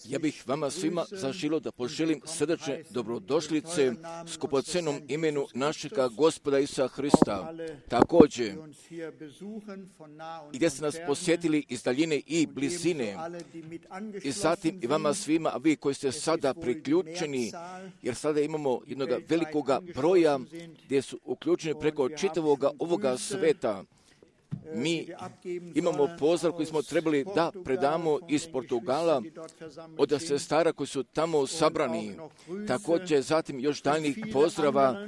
Ja bih vama svima zaželio da poželim srdačne dobrodošlice skupocenom imenu našega Gospoda Isusa Hrista. Također, i gdje ste nas posjetili iz daljine i blizine, i zatim i vama svima, a vi koji ste sada priključeni, jer sada imamo jednog velikoga broja gdje su uključeni preko čitavoga ovoga sveta. Mi imamo pozdrav koji smo trebali da predamo iz Portugala od sestara koji su tamo sabrani. Također zatim još daljnjih pozdrava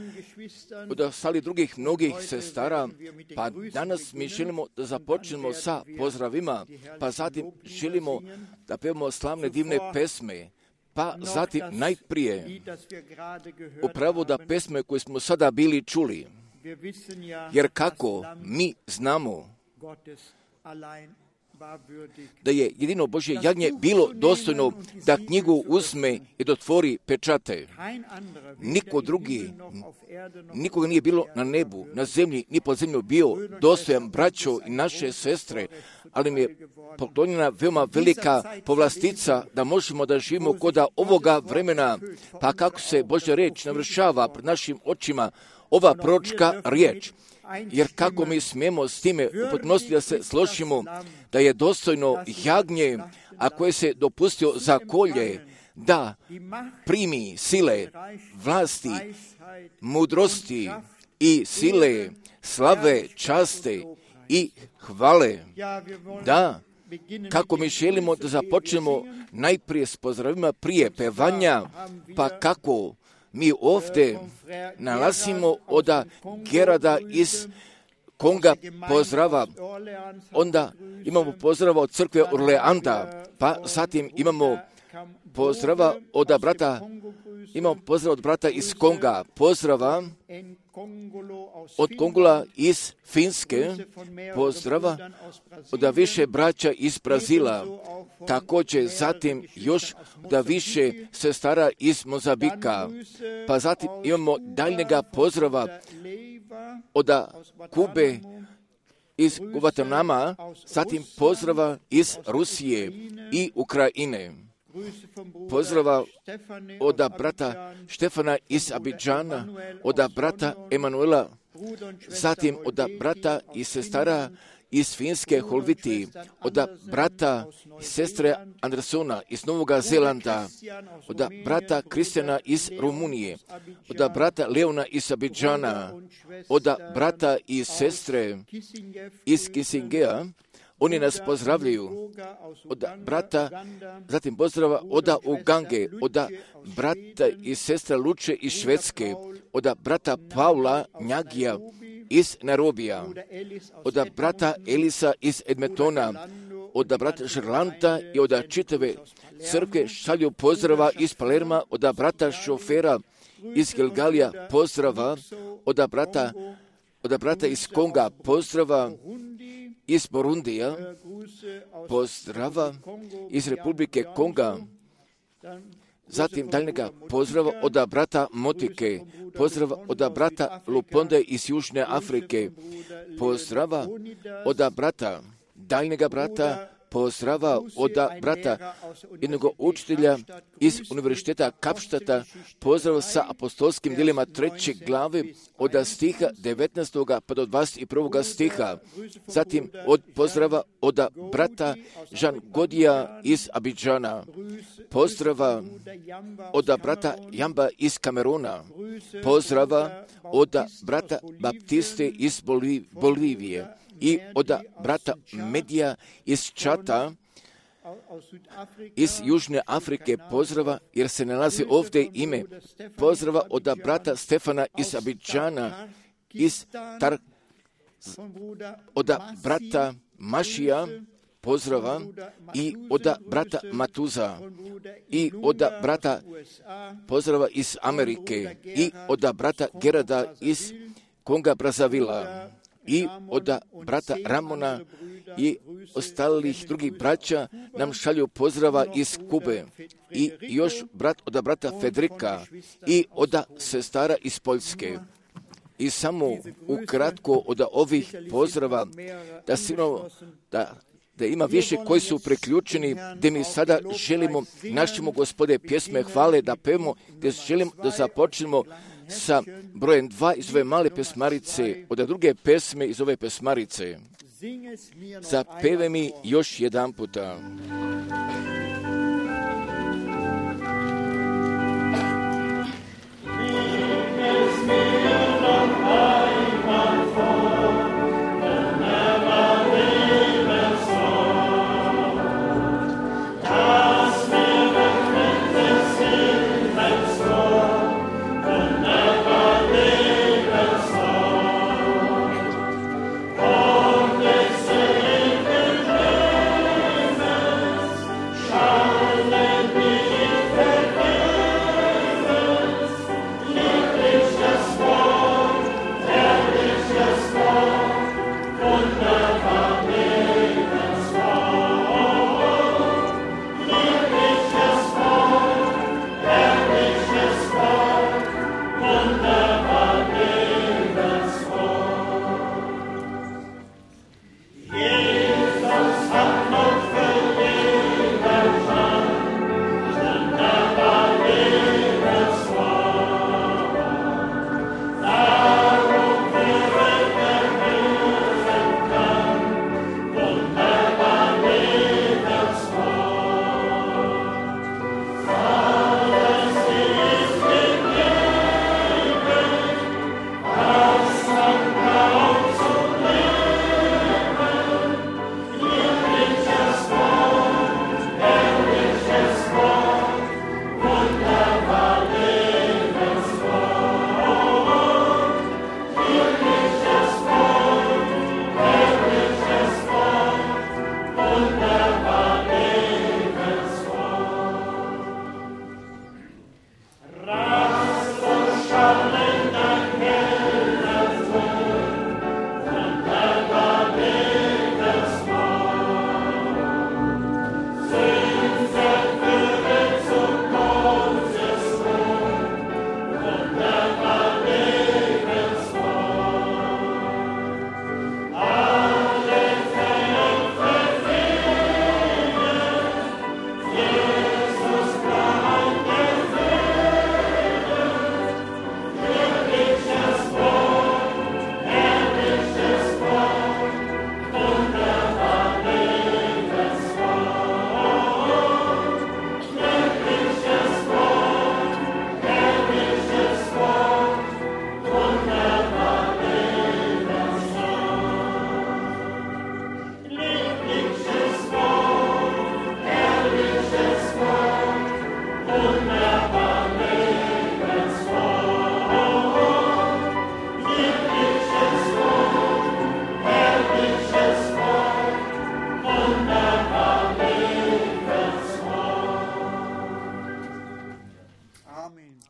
od ostalih drugih mnogih sestara. Pa danas mi želimo da započnemo sa pozdravima, pa zatim želimo da pevamo slavne divne pesme. Pa zatim najprije upravo da pesme koje smo sada bili čuli. Jer kako mi znamo da je jedino Božje jagnje bilo dostojno da knjigu uzme i dotvori pečate. Niko drugi, nikoga nije bilo na nebu, na zemlji, ni pod zemlju bio dostojan, braćo i naše sestre, ali mi je poklonjena veoma velika povlastica da možemo da živimo kod ovoga vremena, pa kako se Božja riječ navršava pred našim očima, ova proročka riječ. Jer kako mi smijemo s time u potpunosti da se složimo da je dostojno jagnje, a koje se dopustio za kolje, da primi sile, vlasti, mudrosti i sile, slave, časte i hvale. Da, kako mi želimo da započnemo najprije s pozdravima prije pevanja, pa kako mi ovdje nalazimo od Gerada iz Konga pozdrava, onda imamo pozdrava od crkve Orleanda, pa zatim imamo pozdrava od brata iz Konga, pozdrava od Kongola iz Finske, pozdrava od više braća iz Brazila, također zatim još da više sestara iz Mozambika, pa zatim imamo daljnjega pozdrava od Kube iz Guatemala, zatim pozdrava iz Rusije i Ukrajine. Pozdrava od brata Štefana iz Abidžana, od brata Emanuela, zatim od brata i sestara iz Finske Holviti, od brata i sestre Andersona iz Novog Zelanda, od brata Kristijana iz Rumunije, od brata Leona iz Abidžana, od brata i sestre iz Kisingea. Oni nas pozdravljaju od brata, zatim pozdrava od Ugange, od brata i sestra Luče iz Švedske, od brata Paula Njagija iz Nairobija, od brata Elisa iz Edmontona, od brata Žerlanta i od čitave crkve šalju pozdrava iz Palerma, od brata šofera iz Gilgalija pozdrava, od brata iz Konga pozdrava, iz Burundija, pozdrava iz Republike Konga, zatim daljnjega pozdrava od brata Motike, pozdrava od brata Luponde iz Južne Afrike, pozdrava od daljnjega brata, pozdrava od brata jednog učitelja iz Univerziteta Kapštata, pozdrav sa apostolskim djelima 3. glave od stiha 19. pa do 21. stiha. Zatim od pozdrava od brata Jean Godija iz Abidžana, pozdrava od brata Jamba iz Kameruna, pozdrava od brata Baptiste iz Bolivije i od brata Medija iz Čata, iz Južne Afrike pozdrava, jer se nalazi ovdje ime, pozdrava od brata Stefana iz Abidžana, od brata Mašija pozdrava i od brata Matuza i od brata pozdrava iz Amerike i od brata Gerada iz Konga Brazavila i od brata Ramona i ostalih drugih braća nam šalju pozdrava iz Kube i još od brata Fedrika i od sestara iz Poljske. I samo ukratko od ovih pozdrava da da ima više koji su priključeni, gdje mi sada želimo našemu Gospode pjesme hvale da pevamo, gdje želimo da započnemo sa brojem 2 iz ove male pesmarice, od druge pesme iz ove pesmarice. Zapeve mi još jedan puta.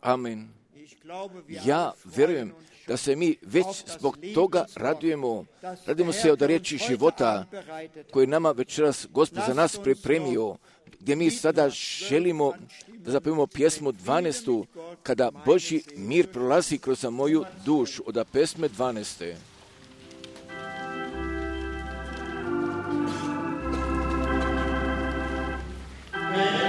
Amen. Ja vjerujem da se mi već zbog toga radujemo se od riječi života koje nama večeras Gospod za nas pripremio, gdje mi sada želimo da zapevamo pjesmu 12. Kada Božji mir prolazi kroz moju dušu, od pesme 12. Amen.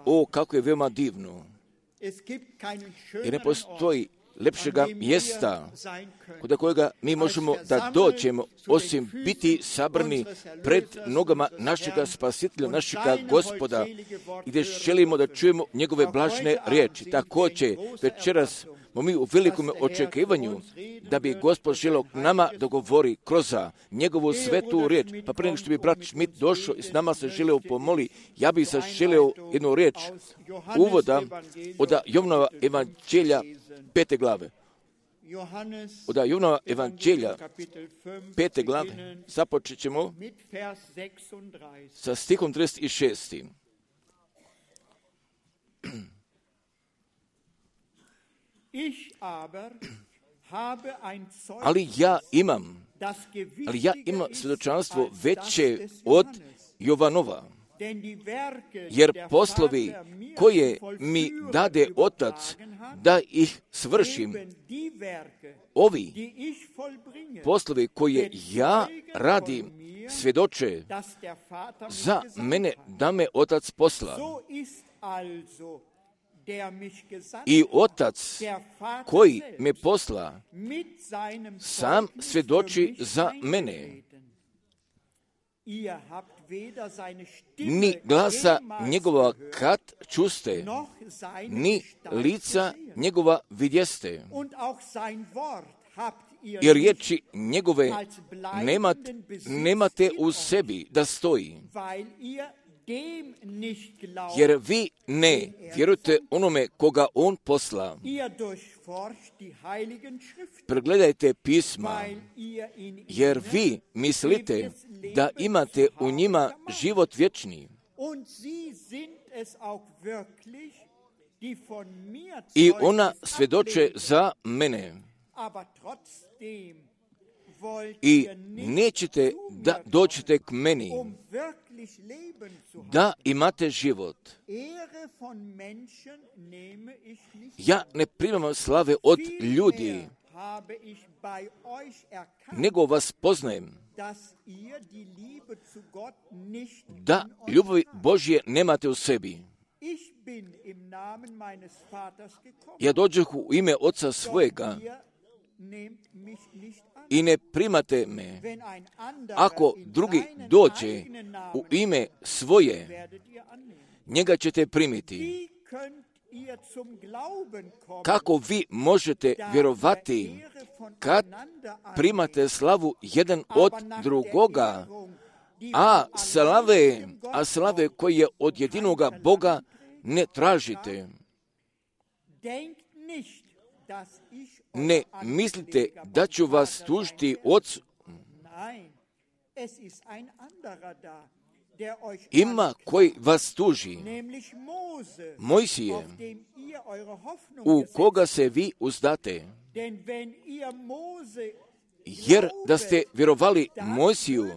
O, kako je veoma divno. Jer ne postoji lepšega mjesta kod kojega mi možemo da dođemo, osim biti sabrani pred nogama našega Spasitelja, našega Gospoda, i gdje želimo da čujemo njegove blažne riječi. Također, večeras smo mi u velikom očekivanju da bi Gospod želio k nama da govori kroz njegovu svetu riječ. Pa prije nego što bi brat Schmidt došao i s nama se želio pomoli, ja bih se želio jednu riječ uvoda od Jovanova evanđelja 5. glave. Od Jovanova evanđelja 5. glave započet ćemo sa stihom 36. Ali ja imam svjedočanstvo veće od Jovanova, jer poslovi koje mi dade Otac da ih svršim, ovi poslovi koje ja radim, svjedoče za mene da me Otac posla. I Otac koji me posla sam svjedoči za mene. Ni glasa njegova kad čuste, ni lica njegova vidjeste. I riječi njegove nemate u sebi da stoji. Jer vi ne vjerujete onome koga on posla. Pregledajte pisma, jer vi mislite da imate u njima život vječni. I ona svjedoče za mene. I nećete da dođete k meni, da imate život. Ja ne primam slave od ljudi, nego vas poznajem, da ljubavi Božje nemate u sebi. Ja dođoh u ime Oca svojega i ne primate me. Ako drugi dođe u ime svoje, njega ćete primiti. Kako vi možete vjerovati kad primate slavu jedan od drugoga, a slave koje je od jedinoga Boga ne tražite? Ne mislite da ću vas tužiti Ocu. Ima koji vas tuži, Mojsije, u koga se vi uzdate. Jer da ste vjerovali Mojsiju,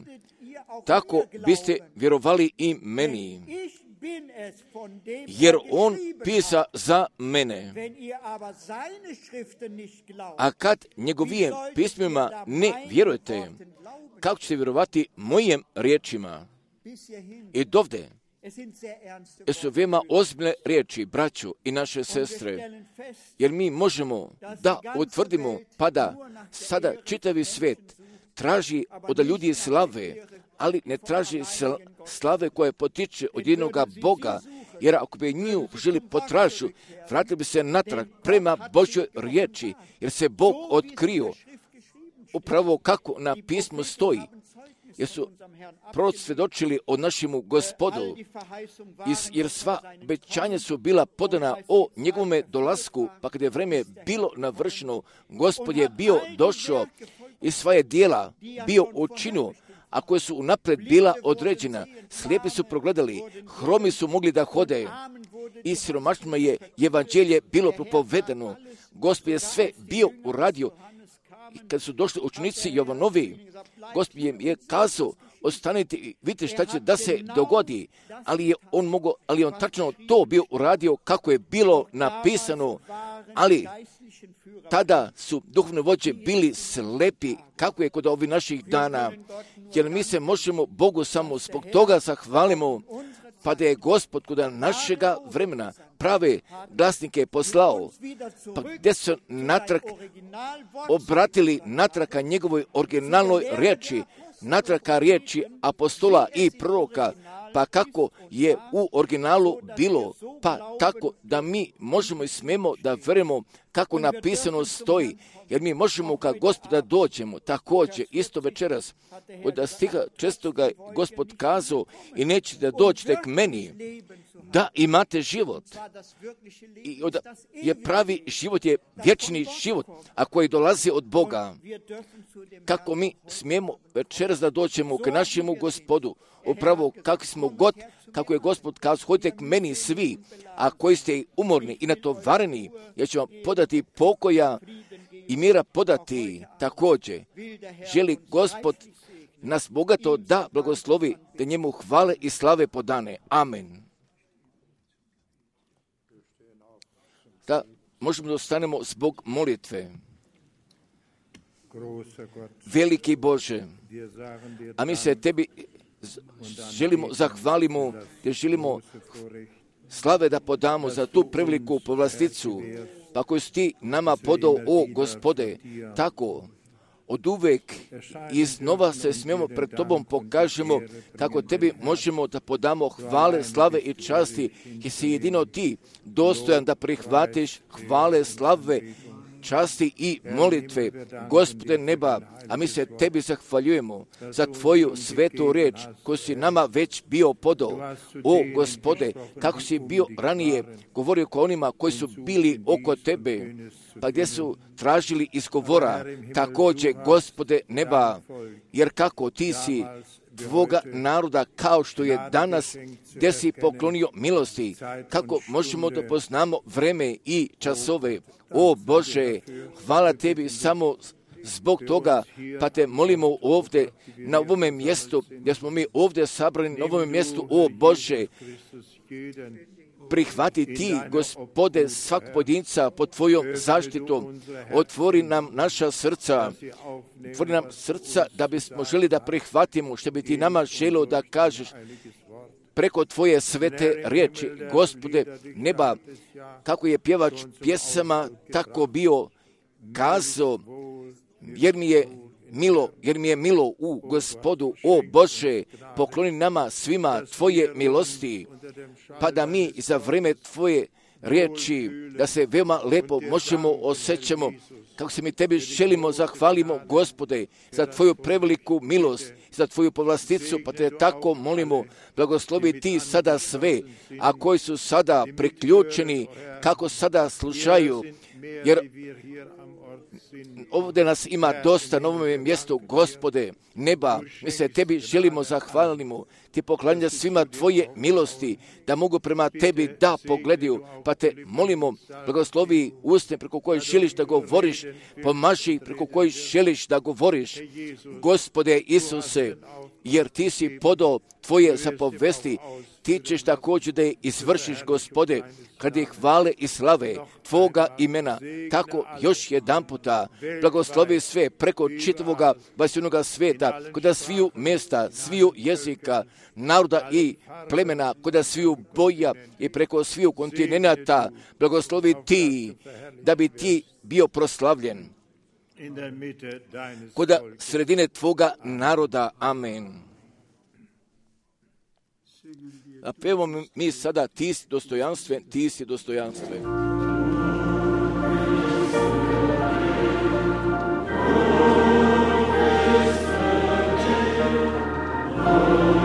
tako biste vjerovali i meni. Jer on pisa za mene. A kad njegovim pismima ne vjerujete, kako ćete vjerovati mojim riječima? I dovde su veoma ozbiljne riječi, braćo i naše sestre, jer mi možemo da utvrdimo, pa da sada čitavi svijet traži od ljudi slave, ali ne traži slave koje potiče od jednoga Boga, jer ako bi nju želi potražu, vratili bi se natrag prema Božjoj riječi, jer se Bog otkrio upravo kako na pismu stoji, jer su proroci svjedočili o našemu Gospodu, jer sva obećanja su bila podana o njegovome dolasku, pa kad je vrijeme bilo navršeno, Gospod je bio došao i svoje djela bio učinio, a koje su unaprijed bila određena. Slijepi su progledali, hromi su mogli da hode i siromašnima je evanđelje bilo propovedano. Gospod je sve bio uradio. I kad su došli učenici Jovanovi, Gospod im je kazao, ostanite i vidite šta će da se dogodi, ali je on tačno to bio uradio kako je bilo napisano, ali tada su duhovne vođe bili slepi, kako je kod ovih naših dana, jer mi se možemo Bogu samo zbog toga zahvalimo, pa da je Gospod kod našega vremena prave glasnike poslao, pa gdje su natrag obratili natraka njegovoj originalnoj riječi, natraka riječi apostola i proroka, pa kako je u originalu bilo, pa tako da mi možemo i smemo da verujemo kako napisano stoji, jer mi možemo kad Gospoda dođemo. Također, isto večeras, od stiha čestoga Gospod kazao, i nećete doći k meni, da imate život. I je pravi život, je vječni život, a koji dolazi od Boga. Kako mi smijemo večeras da dođemo k našemu Gospodu, upravo kako smo god, kako je Gospod kazao, hodite k meni svi, a koji ste umorni i natovareni, ja ću vam podati pokoja i mira podati. Također, želi Gospod nas bogato da blagoslovi, da njemu hvale i slave podane. Amen. Da možemo da ostanemo zbog molitve. Veliki Bože, a mi se tebi želimo, zahvalimo, jer želimo slave da podamo za tu preveliku povlasticu, pa koju si ti nama podao, o Gospode, tako od uvek iznova se smijemo pred tobom pokažemo kako tebi možemo da podamo hvale, slave i časti, jer si jedino ti dostojan da prihvatiš hvale, slave, časti i molitve, Gospode neba, a mi se tebi zahvaljujemo za tvoju svetu riječ koju si nama već bio podao. O Gospode, kako si bio ranije govorio ko onima koji su bili oko tebe, pa gdje su tražili izgovora, također Gospode neba, jer kako ti si tvoga naroda kao što je danas, gdje si poklonio milosti, kako možemo da poznamo vreme i časove. O Bože, hvala tebi samo zbog toga, pa te molimo ovdje na ovome mjestu, gdje smo mi ovdje sabrani na ovome mjestu, o Bože, prihvati ti, Gospode, svak pojedinca pod tvojom zaštitom, otvori nam naša srca, otvori nam srca da bismo želi da prihvatimo što bi ti nama želio da kažeš preko tvoje svete riječi. Gospode neba, kako je pjevač pjesama tako bio kazao, jer mi je milo u Gospodu, o Bože, pokloni nama svima tvoje milosti, pa da mi za vrijeme tvoje riječi, da se veoma lepo možemo osjećamo, kako se mi tebi želimo, zahvalimo, Gospode, za tvoju preveliku milost, za tvoju povlasticu, pa te tako molimo, blagoslovi ti sada sve, a koji su sada priključeni, kako sada slušaju, jer ovdje nas ima dosta na ovome mjestu, Gospode neba, mi se tebi želimo, zahvalimo, ti poklanja svima tvoje milosti, da mogu prema tebi da pogledaju, pa te molimo, blagoslovi usne preko koje želiš da govoriš, pomaži preko koje želiš da govoriš, Gospode Isuse, jer ti si podao tvoje zapovesti, ti ćeš također da je izvršiš, Gospode, kad je hvale i slave tvoga imena. Tako još jedan puta blagoslovi sve preko čitavoga vasivnoga svijeta, kod sviju mjesta, sviju jezika, naroda i plemena, kod sviju boja i preko sviju kontinenta, blagoslovi ti, da bi ti bio proslavljen kod sredine tvoga naroda. Amen. A pevamo mi sada ti si dostojanstven, ti si dostojanstven. Oh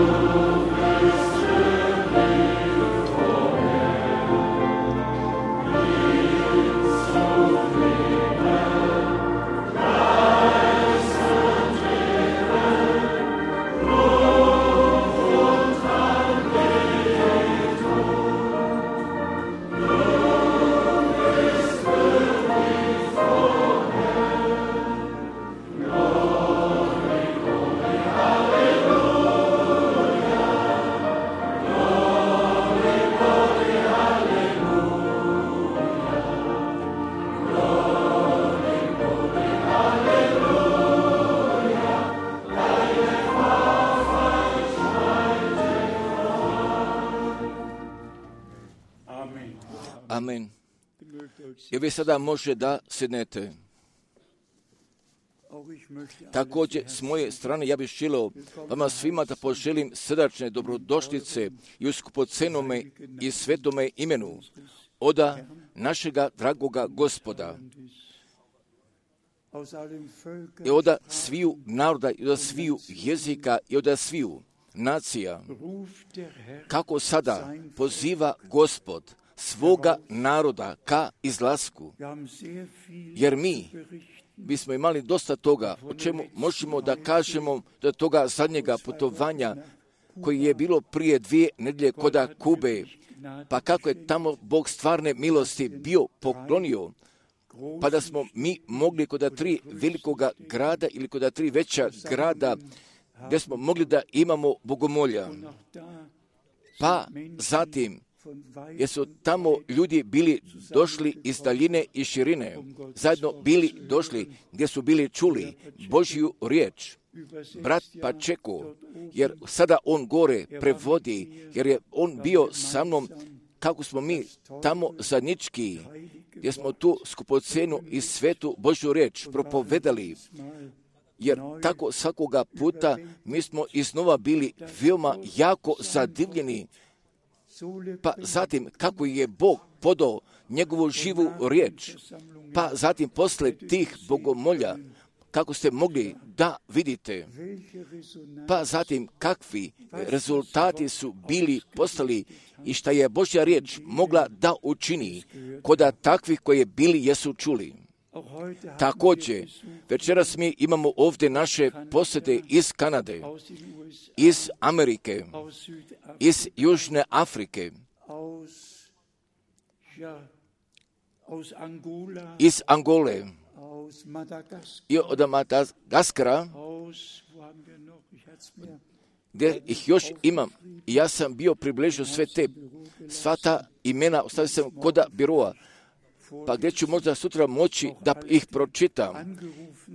I vi sada može da sednete. Također, s moje strane, ja bih želio vama svima da poželim srdačne dobrodošlice i u skupocenome i svetome imenu oda našega dragoga Gospoda. I oda sviju naroda, i oda sviju jezika, i oda sviju nacija. Kako sada poziva Gospod svoga naroda ka izlasku. Jer mi smo imali dosta toga, o čemu možemo da kažemo do toga zadnjega putovanja koji je bilo prije 2 nedjelje koda Kube, pa kako je tamo Bog stvarne milosti bio poklonio, pa da smo mi mogli koda 3 velikoga grada ili koda 3 veća grada gdje smo mogli da imamo bogomolja. Pa zatim, jer su tamo ljudi bili došli iz daljine i širine, zajedno bili došli gdje su bili čuli Božju riječ. Brat Pačeko, jer sada on gore prevodi, jer je on bio sa mnom kako smo mi tamo zajednički, gdje smo tu skupocenu i svetu Božju riječ propovedali. Jer tako svakoga puta mi smo iznova bili veoma jako zadivljeni. Pa zatim kako je Bog podao njegovu živu riječ, pa zatim posle tih bogomolja, kako ste mogli da vidite, pa zatim kakvi rezultati su bili postali i šta je Božja riječ mogla da učini koda takvih koje bili jesu čuli. Također, večeras mi imamo ovdje naše posjete iz Kanade, iz Amerike, iz Južne Afrike, iz Angole, i od Madagaskara, gdje ih još imam. Ja sam bio približio sva ta imena, ostavio sam koda biroa, pa gdje ću možda sutra moći da ih pročitam,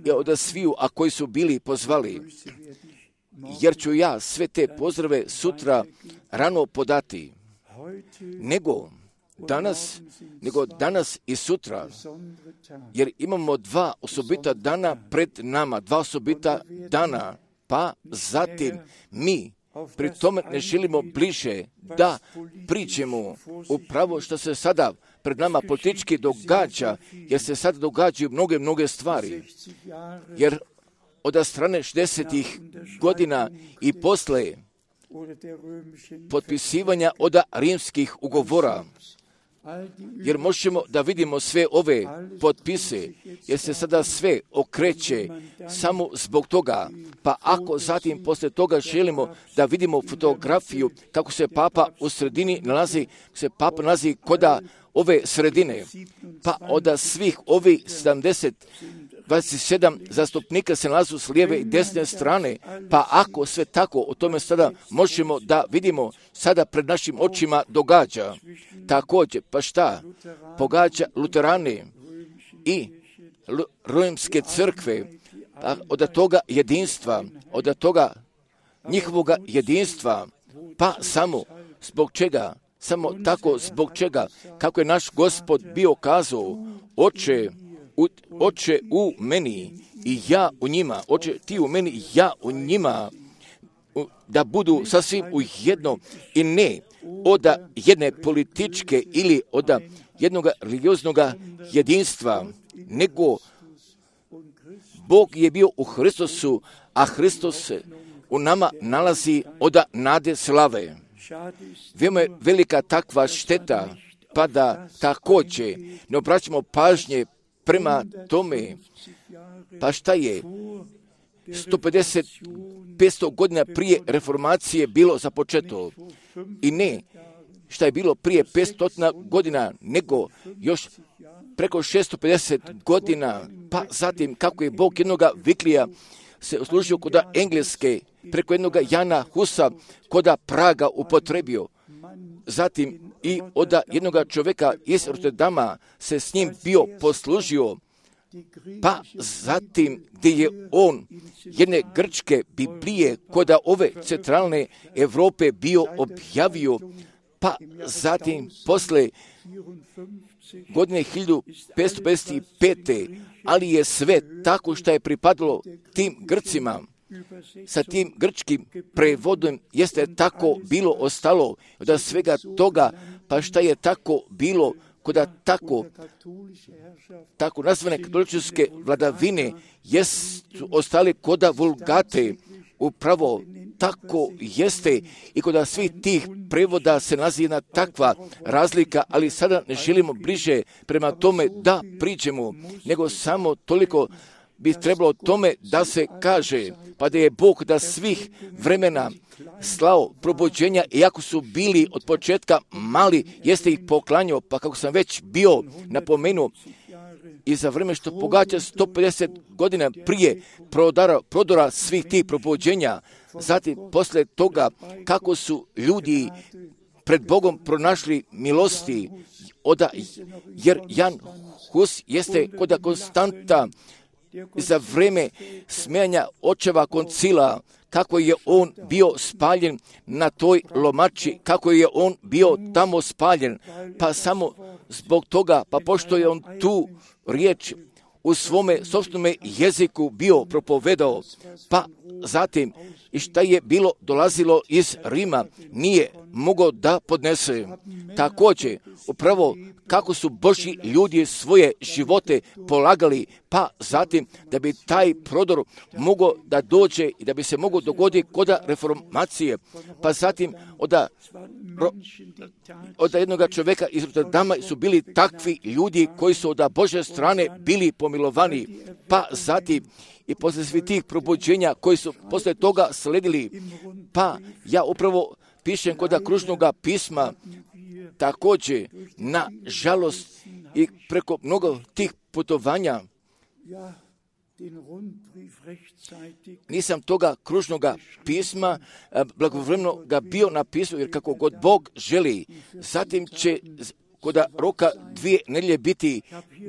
i od sviju, a koji su bili pozvali, jer ću ja sve te pozdrave sutra rano podati, nego danas i sutra, jer imamo 2 osobita dana pred nama, 2 osobita dana, pa zatim mi pri tome ne želimo bliže da pričemo upravo što se sada pred nama politički događa, jer se sada događaju mnoge stvari, jer od strane 60-ih godina i posle potpisivanja od rimskih ugovora, jer možemo da vidimo sve ove potpise, jer se sada sve okreće samo zbog toga, pa ako zatim posle toga želimo da vidimo fotografiju kako se Papa u sredini nalazi, koda ove sredine, pa od svih ovih 27 zastupnika se nalazu s lijeve i desne strane, pa ako sve tako o tome sada možemo da vidimo sada pred našim očima događa. Također, pa šta? Pogađa luterane i rimske crkve, pa od toga jedinstva, od toga njihovoga jedinstva, pa samo zbog čega? Samo tako zbog čega, kako je naš Gospod bio kazao, Oče u meni i ja u njima, Oče ti u meni i ja u njima, da budu sasvim u jedno i ne od jedne političke ili od jednog religioznog jedinstva, nego Bog je bio u Hristosu, a Hristos se u nama nalazi od nade slave. Veoma je velika takva šteta, pa da također ne obraćamo pažnje prema tome, pa šta je 150-500 godina prije reformacije bilo započeto i ne šta je bilo prije 500 godina, nego još preko 650 godina, pa zatim kako je Bog jednoga Viklija se uslužio koda Engleske, preko jednoga Jana Husa koda Praga upotrebio, zatim i od jednog čovjeka iz Rotterdama se s njim bio poslužio, pa zatim gdje je on jedne grčke Biblije koda ove centralne Europe bio objavio, pa zatim posle godine 1555. Ali je sve tako što je pripadalo tim Grcima, sa tim grčkim prevodom jeste tako bilo ostalo, da svega toga, pa šta je tako bilo, koda tako nazvane katoličke vladavine jesu ostali koda vulgate, upravo tako jeste i kod svih tih prevoda se nalazi jedna takva razlika, ali sada ne želimo bliže prema tome da priđemo, nego samo toliko bi trebalo tome da se kaže, pa da je Bog da svih vremena slao probuđenja, iako su bili od početka mali, jeste ih poklanjao, pa kako sam već bio napomenuo, i za vreme što pogađa 150 godina prije prodora svih tih probuđenja, zatim posle toga kako su ljudi pred Bogom pronašli milosti, jer Jan Hus jeste koda konstanta za vreme smijanja očeva koncila, kako je on bio spaljen na toj lomači, kako je on bio tamo spaljen, pa samo zbog toga, pa pošto je on tu riječ u svome sopstvenome jeziku bio propovedao, pa zatim i šta je bilo dolazilo iz Rima, nije mogao da podnese. Također, upravo kako su Božji ljudi svoje živote polagali, pa zatim da bi taj prodor mogao da dođe i da bi se mogao dogoditi kod reformacije, pa zatim od jednog čovjeka iz Rotterdama su bili takvi ljudi koji su od Božje strane bili pomilovani, pa zatim i posle svih tih probuđenja koji su posle toga sledili, pa ja upravo pišem kod kružnog pisma, također, na žalost i preko mnogo tih putovanja, nisam toga kružnog pisma blagovremeno ga bio napisao, jer kako god Bog želi, zatim će kod roka 2 nedjelje biti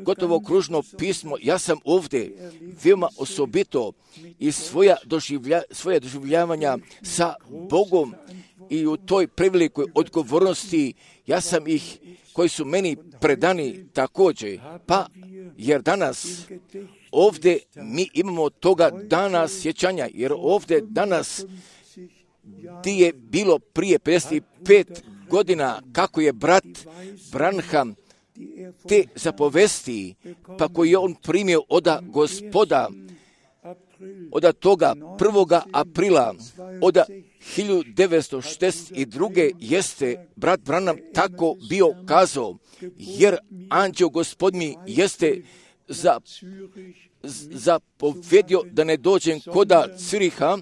gotovo kružno pismo. Ja sam ovdje veoma osobito i svoje doživljavanja sa Bogom i u toj prevelikoj odgovornosti, ja sam ih koji su meni predani također, pa jer danas ovdje mi imamo toga dana sjećanja, jer ovdje danas ti je bilo prije 55 godina kako je brat Branham te zapovesti, pa koji je on primio od Gospoda, od toga 1. aprila od 1962. jeste brat Branham tako bio kazao, jer anđeo Gospodnji jeste zapovjedio da ne dođem koda Ciriha,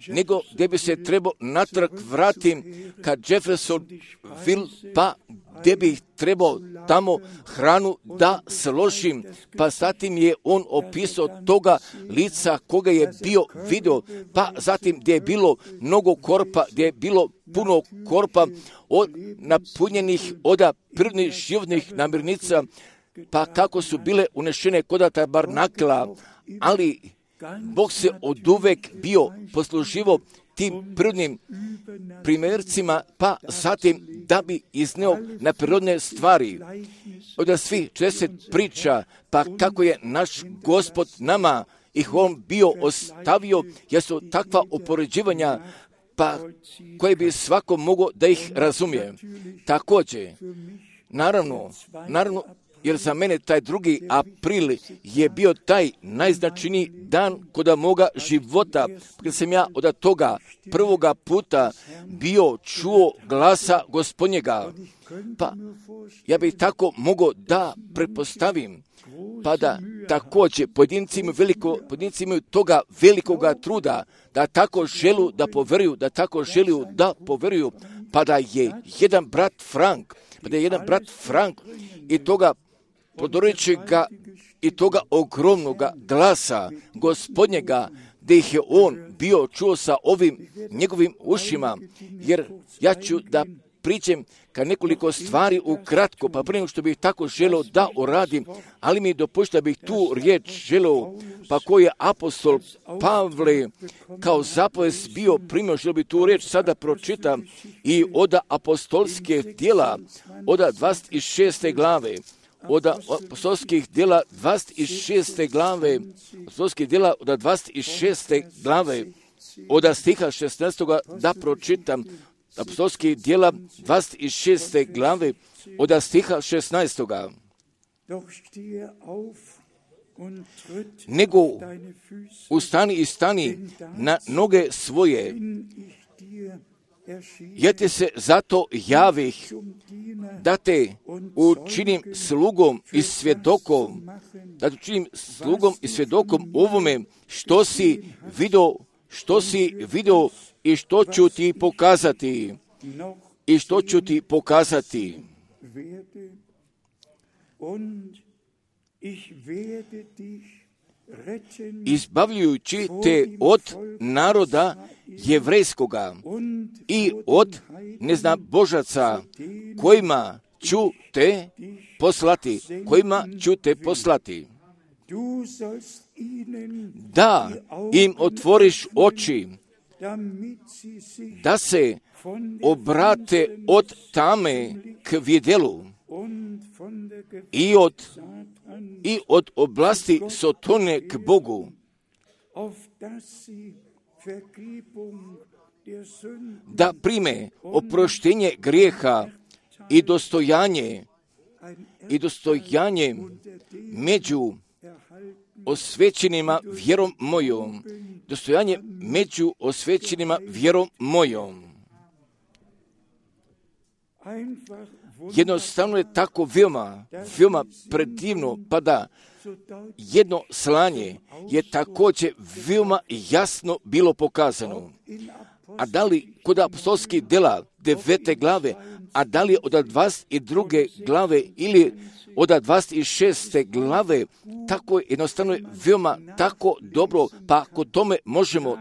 nego gdje bi se trebao natrag vratim kad Jeffersonville, pa gdje bih trebao tamo hranu da složim, pa zatim je on opisao toga lica koga je bio video, pa zatim gdje je bilo mnogo korpa, gdje je bilo puno korpa napunjenih od prirodnih životnih namirnica, pa kako su bile unešene kod tabernakla, ali Bog se oduvek bio posluživo tim prirodnim primjercima, pa zatim da bi izneo na prirodne stvari. Od svih 40 priča, pa kako je naš Gospod nama ih on bio ostavio, jer su takva upoređivanja, pa koje bi svako mogao da ih razumije. Također, naravno, jer za mene taj 2. april je bio taj najznačajniji dan kod moga života, kad sam ja od toga prvoga puta bio čuo glasa Gospodnjega. Pa ja bih tako mogao da pretpostavim, pa da također pojedinci imaju toga velikoga truda, da tako želu da poveruju, pa da je jedan brat Frank i toga prodorećega i toga ogromnoga glasa Gospodnjega, gdje ih je on bio čuo sa ovim njegovim ušima, jer ja ću da priđem ka nekoliko stvari ukratko, pa prije što bih tako želeo da uradim, ali mi dopušta da bih tu riječ želeo, pa koji je apostol Pavle kao zapovest bio primio, želeo bih tu riječ sada pročitam i od apostolske djela, od 26. glave, od apostolskih djela 26. glave, apostolskih djela od 26. glave, od stiha 16. da pročitam, apostolskih djela 26. glave, od stiha 16. Nego ustani i stani na noge svoje, jer te se zato javih, da te učinim slugom i svjedokom, ovome što si vidio i što ću ti pokazati. Izbavljujući te od naroda jevrejskoga i od neznabožaca, kojima ću te poslati. Da im otvoriš oči, da se obrate od tame k vidjelu i od oblasti Sotone k Bogu, da prime oproštenje grijeha i dostojanje među osvećenima vjerom mojom. Jednostavno je tako veoma predivno, pa da jedno slanje je također veoma jasno bilo pokazano. A da li kod apostolskih djela 9. glave, a da li od 22. glave ili od 26. glave, tako jednostavno je veoma tako dobro, pa ako tome možemo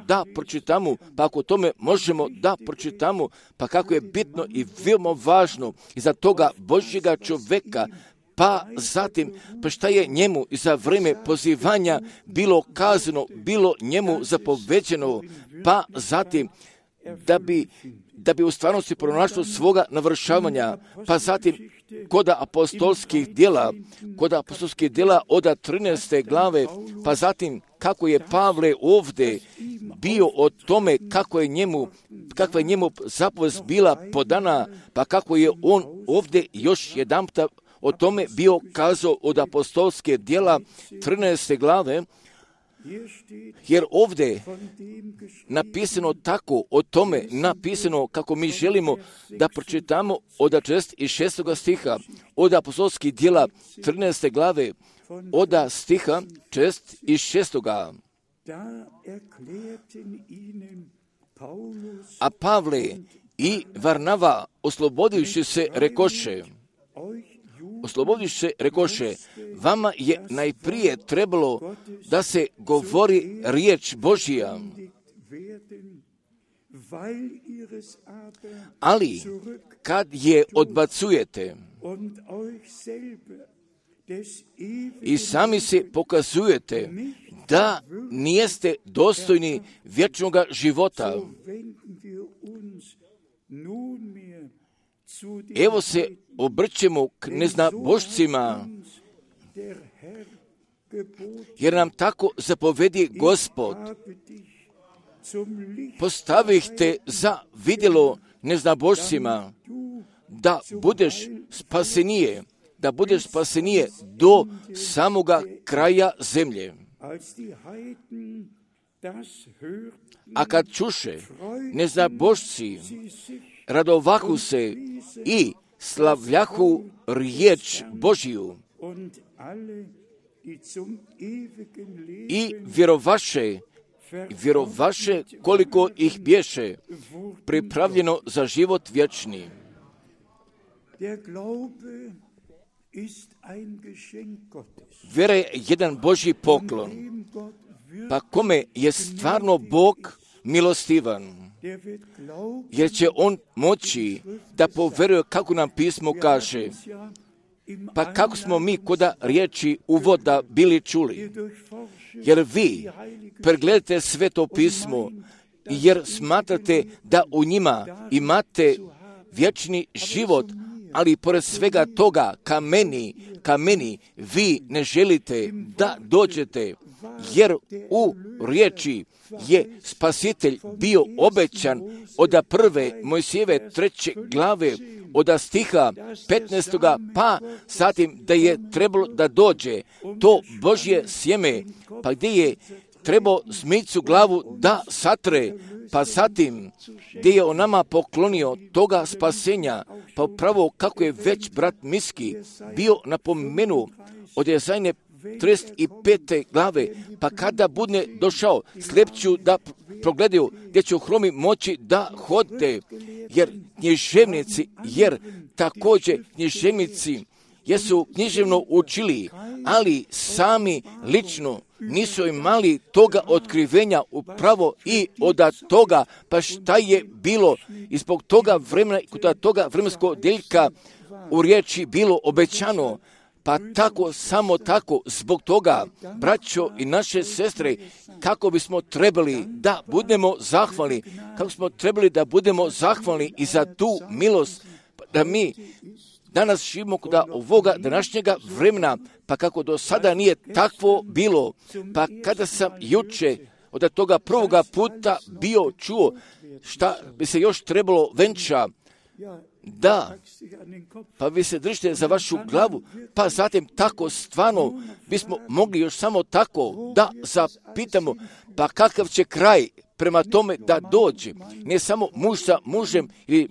da pročitamo, pa kako je bitno i veoma važno iza toga Božjega čovjeka, pa zatim, pa šta je njemu i za vrijeme pozivanja bilo kazano, bilo njemu zapoveđeno, pa zatim, da bi u stvarnosti pronašlo svoga navršavanja, pa zatim kod apostolskih djela od 13. glave, pa zatim kako je Pavle ovdje bio o tome kakva je njemu zapovest bila podana, pa kako je on ovdje još jedanputa o tome bio kazao od apostolske djela 13. glave, jer ovdje napisano tako, o tome napisano kako mi želimo da pročitamo od 6. stiha, od apostolskih djela 13. glave, od stiha 6. A Pavle i Varnava oslobodivši se rekoše, vama je najprije trebalo da se govori riječ Božja, ali kad je odbacujete i sami se pokazujete da nijeste dostojni vječnoga života, evo se obrćemo k neznabošcima, jer nam tako zapovedi Gospod. Postavih te za vidjelo neznabošcima, da budeš spasenije do samoga kraja zemlje. A kad čuše neznabošci, radovahu se i slavljahu riječ Božiju i vjerovaše koliko ih bješe pripravljeno za život vječni. Vjera je jedan Božji poklon, pa kome je stvarno Bog milostivan. jer će on moći da poveruje kako nam pismo kaže. Pa kako smo mi koda riječi uvoda bili čuli? Jer vi pregledate sveto pismo, jer smatrate da u njima imate vječni život, ali pored svega toga ka meni vi ne želite da dođete, jer u riječi je Spasitelj bio obećan od prve Mojsijeve 3. glave, od stiha 15. pa zatim da je trebalo da dođe to Božje sjeme, pa gdje je trebao zmijcu glavu da satre, pa zatim gdje je on nama poklonio toga spasenja, pa upravo kako je već brat Miski bio napomenuo od Jezajne 35. glave, pa kada bude došao, slijepću da progledaju, gdje će hromi moći da hode, jer također književnici jesu književno učili, ali sami lično nisu imali toga otkrivenja upravo i od toga, pa šta je bilo i zbog toga vremena, kod toga vremenskog deljka u riječi bilo obećano. Pa tako, samo tako, zbog toga, braćo i naše sestre, kako bismo trebali da budemo zahvalni, kako smo trebali da budemo zahvalni i za tu milost, da mi danas živimo kod ovoga današnjega vremena, pa kako do sada nije takvo bilo, pa kada sam juče od toga prvoga puta bio čuo šta bi se još trebalo venča, da, pa vi se držite za vašu glavu, pa zatim tako stvarno bismo mogli još samo tako da zapitamo, pa kakav će kraj prema tome da dođe, ne samo muž sa mužem ili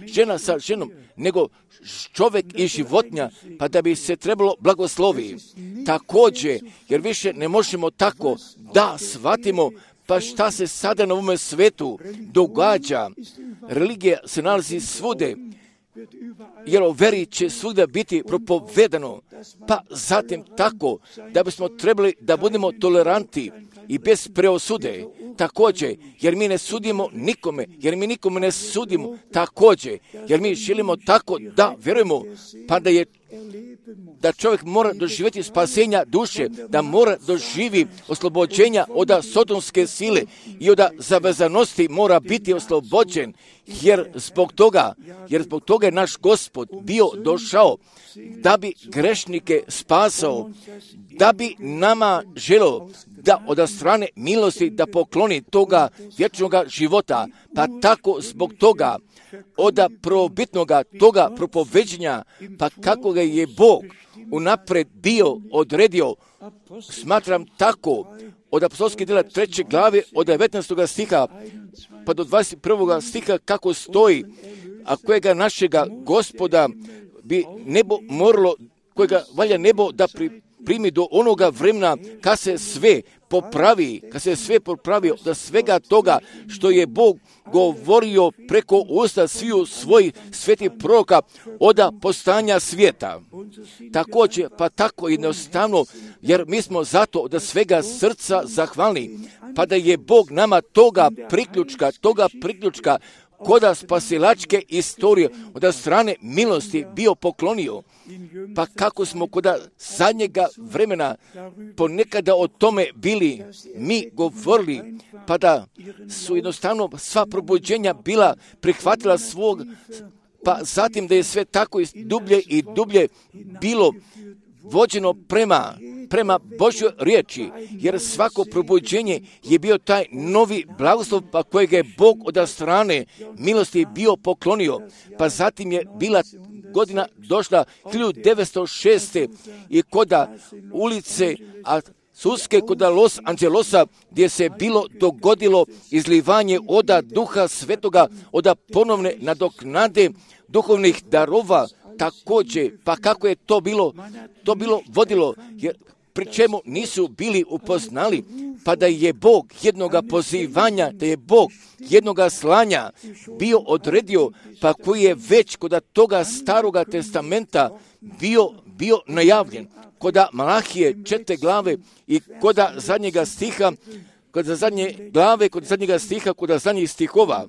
žena sa ženom, nego čovjek i životinja, pa da bi se trebalo blagoslovi. Također, jer više ne možemo tako da shvatimo, pa šta se sada na ovome svetu događa. Religija se nalazi svude, jer o veri će svuda biti propovedano, pa zatim tako da bismo trebali da budemo toleranti i bez preosude, također, jer mi ne sudimo nikome, jer mi nikome ne sudimo, također, jer mi želimo tako da vjerujemo, pa da čovjek mora doživjeti spasenja duše, da mora doživi oslobođenja od sotonske sile i od zavezanosti mora biti oslobođen, jer zbog toga je naš Gospod bio došao da bi grešnike spasao, da bi nama želio da od strane milosti da pokloni toga vječnoga života, pa tako zbog toga od prvobitnoga toga propoveđenja, pa kako ga je Bog unaprijed bio odredio, smatram tako, od apostolskih djela 3. glave, od 19. stiha pa do 21. stiha kako stoji, a kojega našega Gospoda bi nebo moralo, kojega valja nebo da primi do onoga vremena kad se sve popravi da svega toga što je Bog govorio preko usta sviju svojih svetih proroka od postanja svijeta. Također, pa tako jednostavno, jer mi smo zato od svega srca zahvalni, pa da je Bog nama toga priključka koda spasilačke istorije od strane milosti bio poklonio. Pa kako smo koda zadnjega vremena ponekada o tome bili mi govorili, pa da su jednostavno sva probuđenja bila prihvatila svog, pa zatim da je sve tako dublje i dublje bilo vođeno prema Božjoj riječi, jer svako probuđenje je bio taj novi blagoslov, pa kojeg je Bog od strane milosti bio poklonio. Pa zatim je bila godina došla 1906. i koda ulice Suske kod Los Angelesa, gdje se bilo dogodilo izlivanje od Duha Svetoga, od ponovne nadoknade duhovnih darova, također, pa kako je to bilo vodilo, jer pri čemu nisu bili upoznali, pa da je Bog jednoga pozivanja, da je Bog jednoga slanja bio odredio, pa koji je već kod toga staroga testamenta bio najavljen, kod Malahije 4. glave i kod zadnjega stiha, kod zadnje glave, kod zadnjega stiha, kod zadnjih stihova.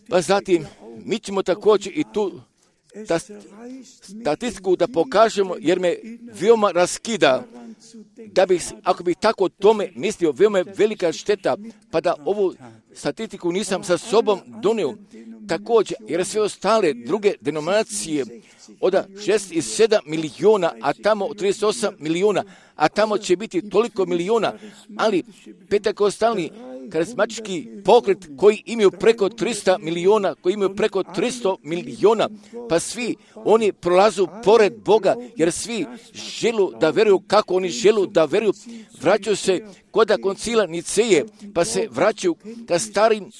Pa zatim, mi ćemo također i tu statistiku da pokažemo, jer me veoma raskida, da bih, ako bih tako o tome mislio, veoma je velika šteta, pa da ovu statistiku nisam sa sobom donio. Također, jer sve ostale druge denominacije od 67 milijuna, a tamo 38 milijuna, a tamo će biti toliko milijuna, ali pentekostalni karizmatički pokret koji imaju preko 300 milijuna, koji imaju preko 300 milijuna, pa svi oni prolazu pored Boga, jer svi želu da veruju kako oni želu da veruju, vraćaju se kod koncila Niceje, pa se vraćaju ka starim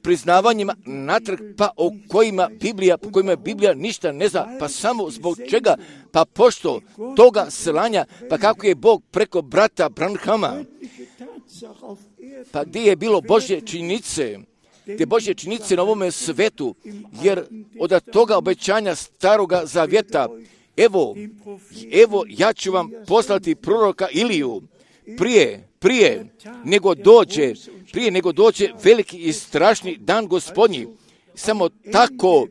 priznavanjima natrag, pa o kojima Biblija ništa ne zna, pa samo zbog čega, pa pošto toga slanja, pa kako je Bog preko brata Branhama, pa gdje je bilo Božje činjenice, te Božje činjenice na ovome svetu, jer od toga obećanja staroga zavjeta, evo ja ću vam poslati proroka Iliju, prije nego dođe veliki i strašni dan Gospodnji. Samo tako,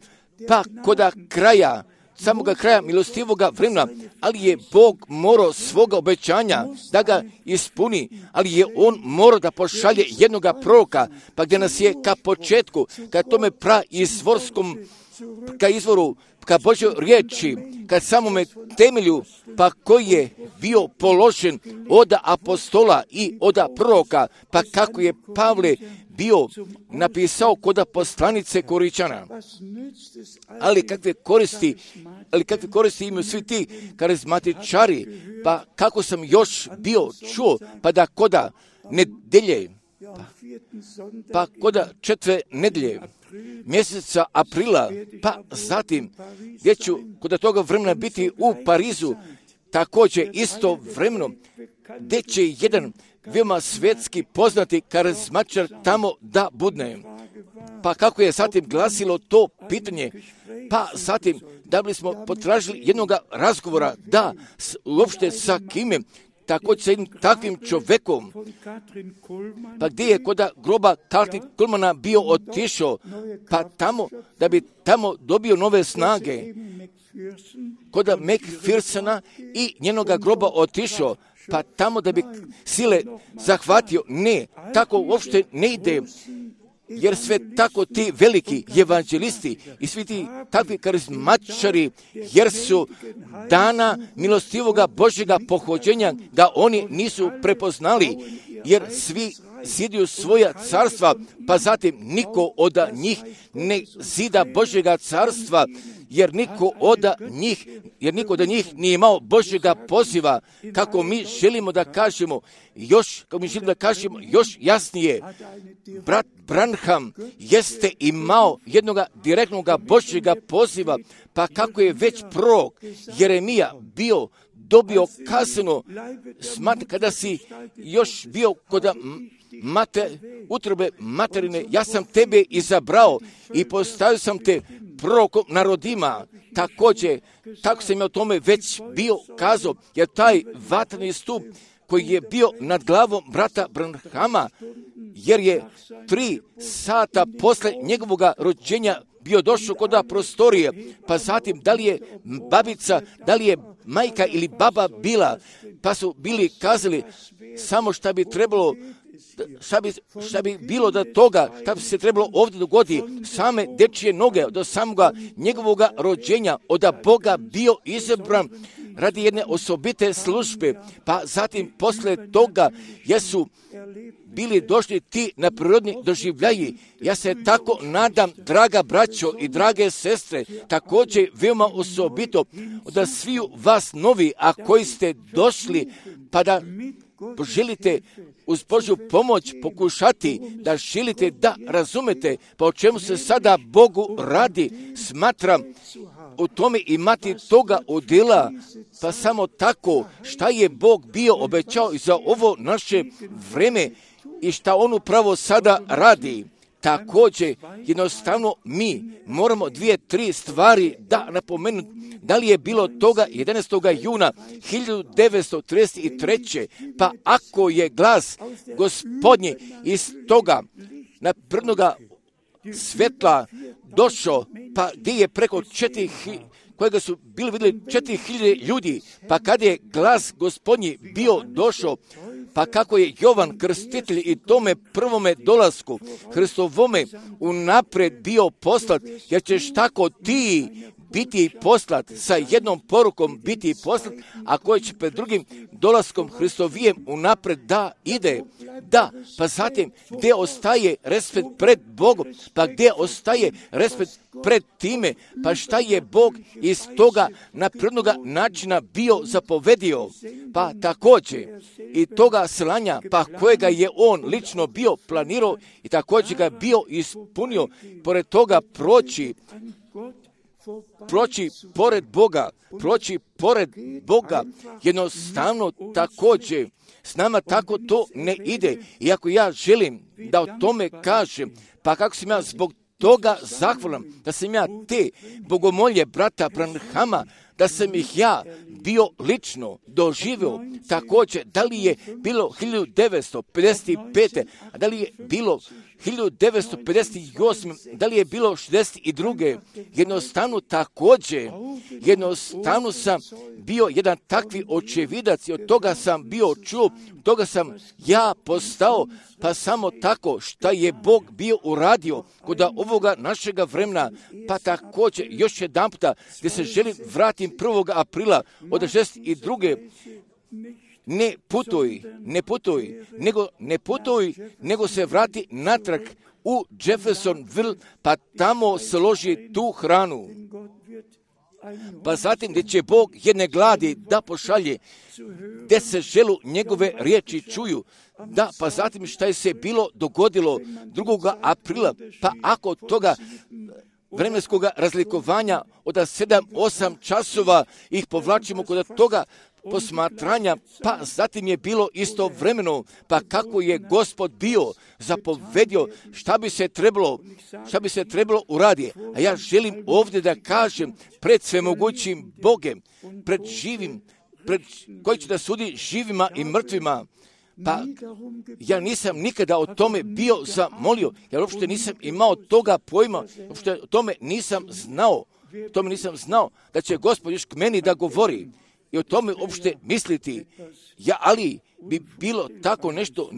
pa koda kraja, samoga kraja milostivoga vremena, ali je Bog morao svoga obećanja da ga ispuni, ali je On morao da pošalje jednoga proroka, pa gdje nas je ka početku, ka tome izvorskom, ka izvoru, ka Božjoj riječi, ka samome temelju, pa koji je bio položen od apostola i od proroka, pa kako je Pavle bio napisao kod poslanice Koričana. Ali kakve koristi imaju svi ti karizmatičari, pa kako sam još bio čuo, pa da koda nedelje, pa koda 4. nedelje mjeseca aprila, pa zatim gdje ću kod toga vremena biti u Parizu, također isto vremeno, gdje će jedan veoma svjetski poznati karizmatičar tamo da budne. Pa kako je zatim glasilo to pitanje, pa zatim da bi smo potražili jednog razgovora, da uopšte sa kime, također sa jednim takvim čovjekom, pa gdje je kod groba Katrin Kuhlmana bio otišao, pa tamo, da bi tamo dobio nove snage, kod McPhersona i njenoga groba otišao, pa tamo da bi sile zahvatio. Ne, tako uopšte ne ide, jer sve tako ti veliki evanđelisti i svi ti takvi karizmatičari, jer su dana milostivoga Božjega pohođenja ga oni nisu prepoznali, jer svi ziduju svoja carstva, pa zatim niko od njih ne zida Božjega carstva, jer niko od njih nije imao Božjega poziva, kako mi želimo da kažemo još jasnije. Brat Branham jeste imao jednog direktnog Božjega poziva, pa kako je već prorok Jeremija dobio kazano, kada si još bio kod utrobe materine, ja sam tebe izabrao i postavio sam te prorokom narodima. Također, tako sam ja o tome već bio kazao, jer taj vatreni stup koji je bio nad glavom brata Branhama, jer je 3 sata posle njegovoga rođenja bio došao kod prostorije, pa zatim da li je babica, da li je majka ili baba bila, pa su bili kazali samo šta bi trebalo, šta bi bilo da toga, šta bi se trebalo ovdje dogoditi, same dečije noge do samoga njegovoga rođenja, od Boga bio izabran radi jedne osobite službe, pa zatim posle toga jesu bili došli ti na prirodni doživljaji. Ja se tako nadam, draga braćo i drage sestre, također veoma osobito da sviju vas novi, a koji ste došli, pa da želite uz Božju pomoć pokušati da želite da razumete pa o čemu se sada Bogu radi, smatram u tome imati toga udjela, pa samo tako šta je Bog bio obećao za ovo naše vreme i šta On upravo sada radi. Također, jednostavno mi moramo 2-3 stvari da napomenuti. Da li je bilo toga 11. juna 1933. Pa ako je glas Gospodnji iz toga naprednoga svjetla došao, pa gdje je preko 4.000, kojega su bili vidjeli 4.000 ljudi, pa kad je glas Gospodnji bio došao, pa kako je Jovan Krstitelj i tome prvome dolasku Hristovome unaprijed bio poslat, jer ćeš tako ti biti poslat, sa jednom porukom biti poslat, a koji će pred drugim dolaskom Hristovijem unaprijed da ide. Da, pa zatim gdje ostaje respekt pred Bogom, pa gdje ostaje respekt pred time, pa šta je Bog iz toga naprednoga načina bio zapovedio, pa također i toga slanja, pa kojega je on lično bio planirao i također ga bio ispunio, pored toga proći pored Boga, jednostavno također s nama tako to ne ide. Iako ja želim da o tome kažem, pa kako sam ja zbog toga zahvalan, da sam ja te bogomolje brata Branhama, da sam ih ja bio lično doživio, također da li je bilo 1955. a da li je bilo 1958. da li je bilo 62. jednostavno sam bio jedan takvi očevidac i od toga sam bio čuo, toga sam ja postao, pa samo tako šta je Bog bio uradio kod ovoga našega vremena, pa također još jedan puta gdje se želim vratim 1. aprila od 62. Ne putuj, nego se vrati natrag u Jeffersonville, pa tamo složi tu hranu. Pa zatim gdje će Bog jedne gladi da pošalje, gdje se želu njegove riječi čuju. Da, pa zatim šta je se bilo dogodilo 2. aprila, pa ako toga vremenskog razlikovanja od 7-8 časova ih povlačimo kod toga posmatranja, pa zatim je bilo istovremeno, pa kako je Gospod bio zapovedio šta bi se trebalo uraditi. A ja želim ovdje da kažem pred svemogućim Bogem, pred živim, koji će da sudi živima i mrtvima. Pa ja nisam nikada o tome bio zamolio, jer uopšte nisam imao toga pojma, uopšte o tome nisam znao da će Gospod još k meni da govori i o tome uopšte misliti. Ali bi bilo tako nešto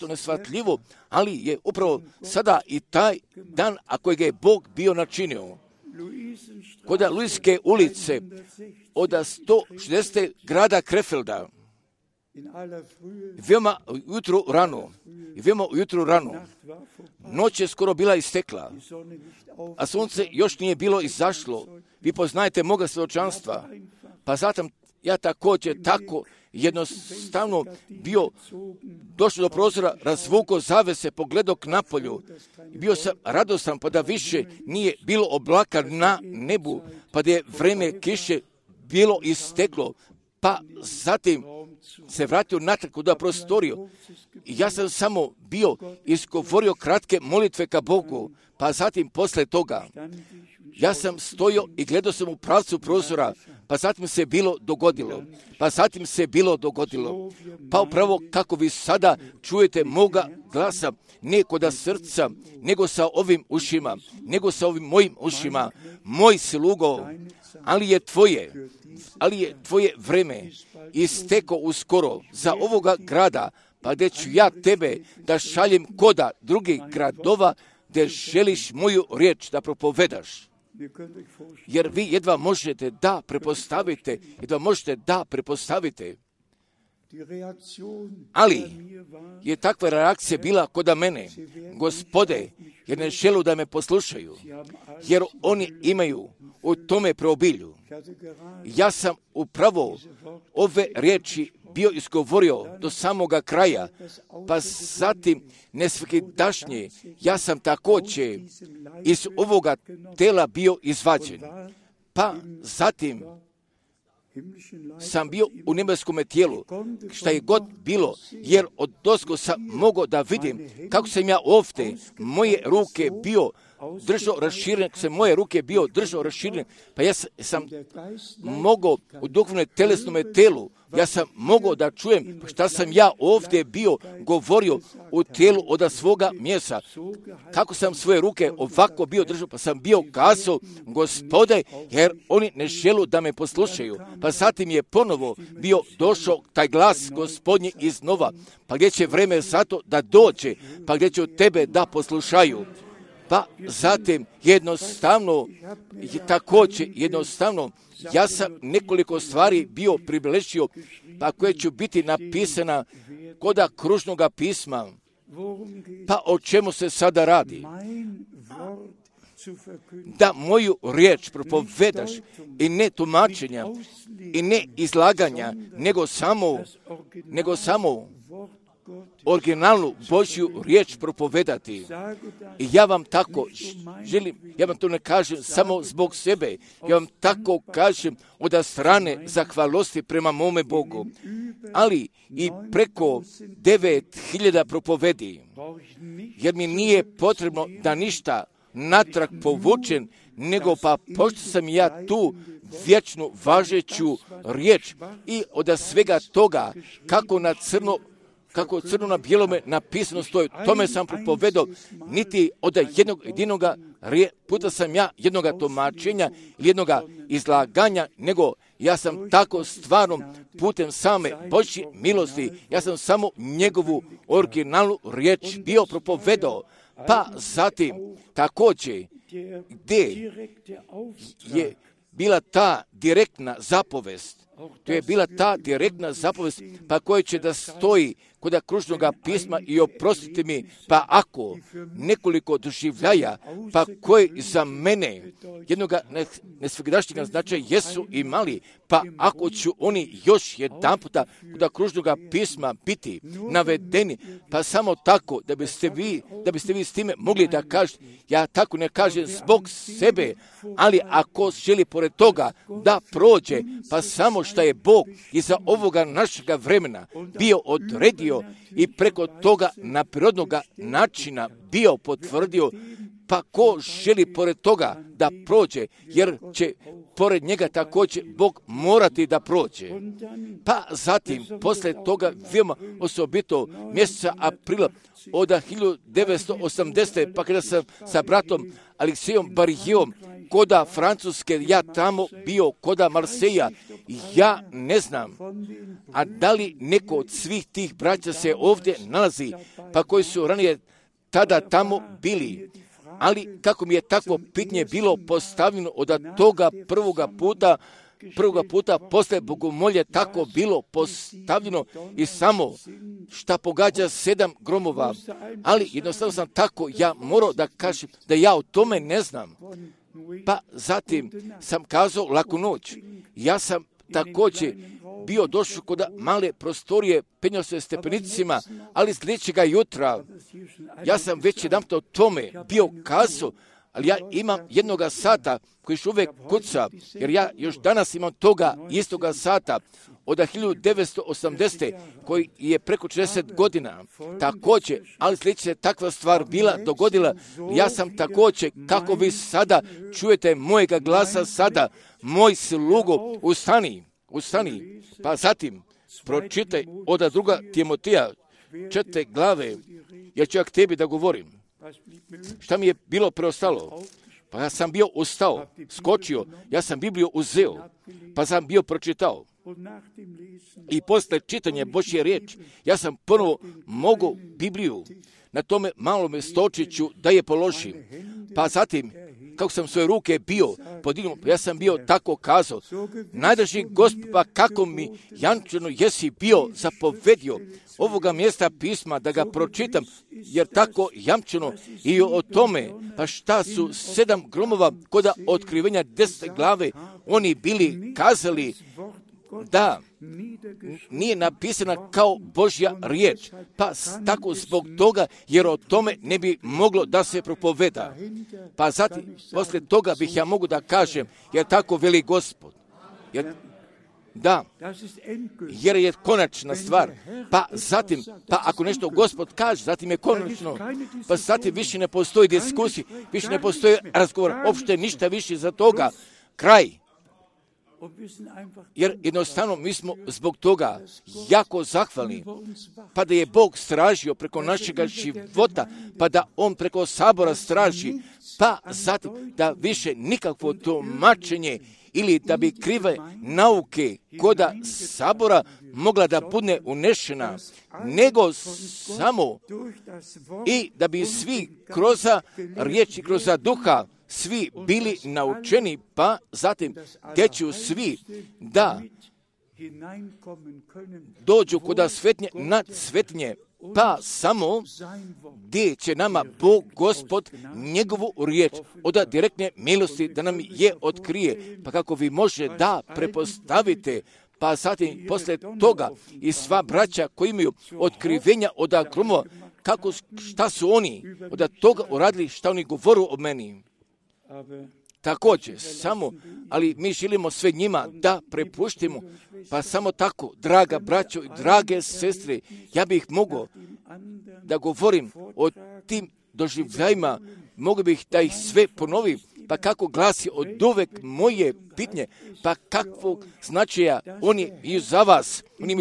nesvatljivo, ali je upravo sada i taj dan, a kojeg je Bog bio načinio. Kod Luiske ulice od 160. grada Krefelda, veoma ujutru rano, noć je skoro bila istekla, a sunce još nije bilo izašlo. Vi poznajete moga svjedočanstva, pa zatim ja također tako jednostavno bio došao do prozora, razvukao zavese, pogledao k napolju i bio sam radostan, pa da više nije bilo oblaka na nebu, pa da je vreme kiše bilo isteklo, pa zatim se vratio natrag u prostoriju. Ja sam samo bio izgovorio kratke molitve ka Bogu, pa zatim posle toga ja sam stojio i gledao sam u pravcu prozora, pa zatim se bilo dogodilo. Pa upravo kako vi sada čujete moga glasa, ne koda srca, nego sa ovim mojim ušima, moj slugo, ali je tvoje vreme isteko uskoro za ovoga grada, pa gdje ću ja tebe da šaljem koda drugih gradova, gdje želiš moju riječ da propovedaš. Jer vi jedva možete da prepostavite. Ali je takva reakcija bila kod mene, Gospode, jer ne želu da me poslušaju, jer oni imaju u tome preobilju. Ja sam upravo ove riječi bio izgovorio do samoga kraja, pa zatim nesvakidašnje ja sam također iz ovoga tela bio izvađen. Pa zatim sam bio u nebeskome tijelu, šta je god bilo, jer od dosko sam mogao da vidim kako sam ja ovdje, moje ruke bio držao raširen, kako se moje ruke bio držao raširen, pa ja sam mogao u duhovnom telesnom telu, ja sam mogao da čujem šta sam ja ovdje bio govorio u tijelu od svoga mjesta. Kako sam svoje ruke ovako bio držao, pa sam bio kazao, Gospode, jer oni ne žele da me poslušaju. Pa zatim je ponovo bio došao taj glas Gospodnji iznova, pa gdje će vreme zato da dođe, pa gdje će tebe da poslušaju. Pa zatim jednostavno, ja sam nekoliko stvari bio približio, pa koje će biti napisana koda kružnoga pisma. Pa o čemu se sada radi? Da moju riječ propovedaš i ne tumačenja i ne izlaganja, nego samo originalnu Božju riječ propovedati. I ja vam tako želim, ja vam to ne kažem samo zbog sebe, ja vam tako kažem od strane zahvalosti prema mome Bogu, ali i preko 9.000 propovedi, jer mi nije potrebno da ništa natrag povučen, nego pa pošto sam ja tu vječnu važeću riječ i od svega toga kako crno na bijelome napisano stoji, tome sam propovedao, niti od jednoga puta sam ja jednoga tumačenja ili jednoga izlaganja, nego ja sam tako stvarno putem same Božje milosti, ja sam samo njegovu originalnu riječ bio propovedao. Pa zatim također gdje je bila ta direktna zapovest, to je bila ta direktna zapovest, pa koja će da stoji kod kružnoga pisma i oprostite mi, pa ako nekoliko doživljaja, pa koji za mene jednoga nesvegdašnjega značaja jesu imali, pa ako ću oni još jedan puta kod kružnoga pisma biti navedeni, pa samo tako da biste vi s time mogli da kažete, ja tako ne kažem zbog sebe, ali ako želi pored toga da prođe, pa samo što je Bog iza ovoga našega vremena bio odredio i preko toga na prirodnoga načina bio potvrdio, pa ko želi pored toga da prođe, jer će pored njega također Bog morati da prođe. Pa zatim, posle toga, veoma osobito mjeseca aprila od 1980. pa kada sam sa bratom Aleksijom Barijom koda Francuske, ja tamo bio koda Marseja, ja ne znam, a da li neko od svih tih braća se ovdje nalazi, pa koji su ranije tada tamo bili. Ali kako mi je takvo pitanje bilo postavljeno od toga prvoga puta posle bogomolje tako bilo postavljeno i samo šta pogađa 7 gromova. Ali jednostavno sam tako, ja morao da kažem da ja o tome ne znam. Pa zatim sam kazao laku noć. Ja sam također bio došao kod male prostorije, penjao se stepenicima, ali sljedećega jutra, ja sam već jedan o tome bio kazao, ali ja imam jednoga sata koji još uvijek kuca, jer ja još danas imam toga istoga sata od 1980. koji je preko 40 godina. Također, ali sljedeća je takva stvar dogodila, ja sam također, kako vi sada čujete mojega glasa sada, moj slugo, ustani, pa zatim pročitaj od 2. Timotija 4. glave, jer ću ja k tebi da govorim. Šta mi je bilo preostalo? Pa ja sam bio ustao, skočio, ja sam Bibliju uzeo, pa sam bio pročitao. I posle čitanja Božje riječi, ja sam ponovo mogu Bibliju na tome malome stočiću da je položim. Pa zatim, kako sam svoje ruke bio podignuo, ja sam bio tako kazao, najdraži Gospod, pa kako mi jančano jesi bio zapovedio ovoga mjesta pisma da ga pročitam, jer tako jamčeno i o tome, pa šta su 7 gromova koda otkrivenja 10 glave, oni bili kazali da nije napisana kao Božja riječ, pa tako zbog toga, jer o tome ne bi moglo da se propoveda. Pa zatim, posle toga bih ja mogu da kažem, jer tako veli Gospod. Da, jer je konačna stvar. Pa zatim, pa ako nešto Gospod kaže, zatim je konačno. Pa zatim više ne postoji diskusija, više ne postoji razgovor, uopšte ništa više za toga. Kraj. Jer jednostavno mi smo zbog toga jako zahvalni, pa da je Bog stražio preko našega života, pa da On preko sabora straži, pa zatim da više nikakvo tumačenje ili da bi krive nauke koda sabora mogla da bude unešena, nego samo i da bi svi kroz riječi, kroz duha, svi bili naučeni, pa zatim gdje će svi da dođu kod svetnje nad svetnje, pa samo gdje će nama Bog, Gospod, njegovu riječ od direktne milosti da nam je otkrije, pa kako vi može da prepostavite, pa zatim posle toga i sva braća koji imaju otkrivenja od gromova, kako, šta su oni od toga uradili, šta oni govoru o meni. Također, samo, ali mi želimo sve njima da prepuštimo, pa samo tako, draga braćo i drage sestre, ja bih mogao da govorim o tim doživljajima, mogu bih da ih sve ponovim, pa kako glasi od uvek moje pitanje, pa kakvog značaja oni imaju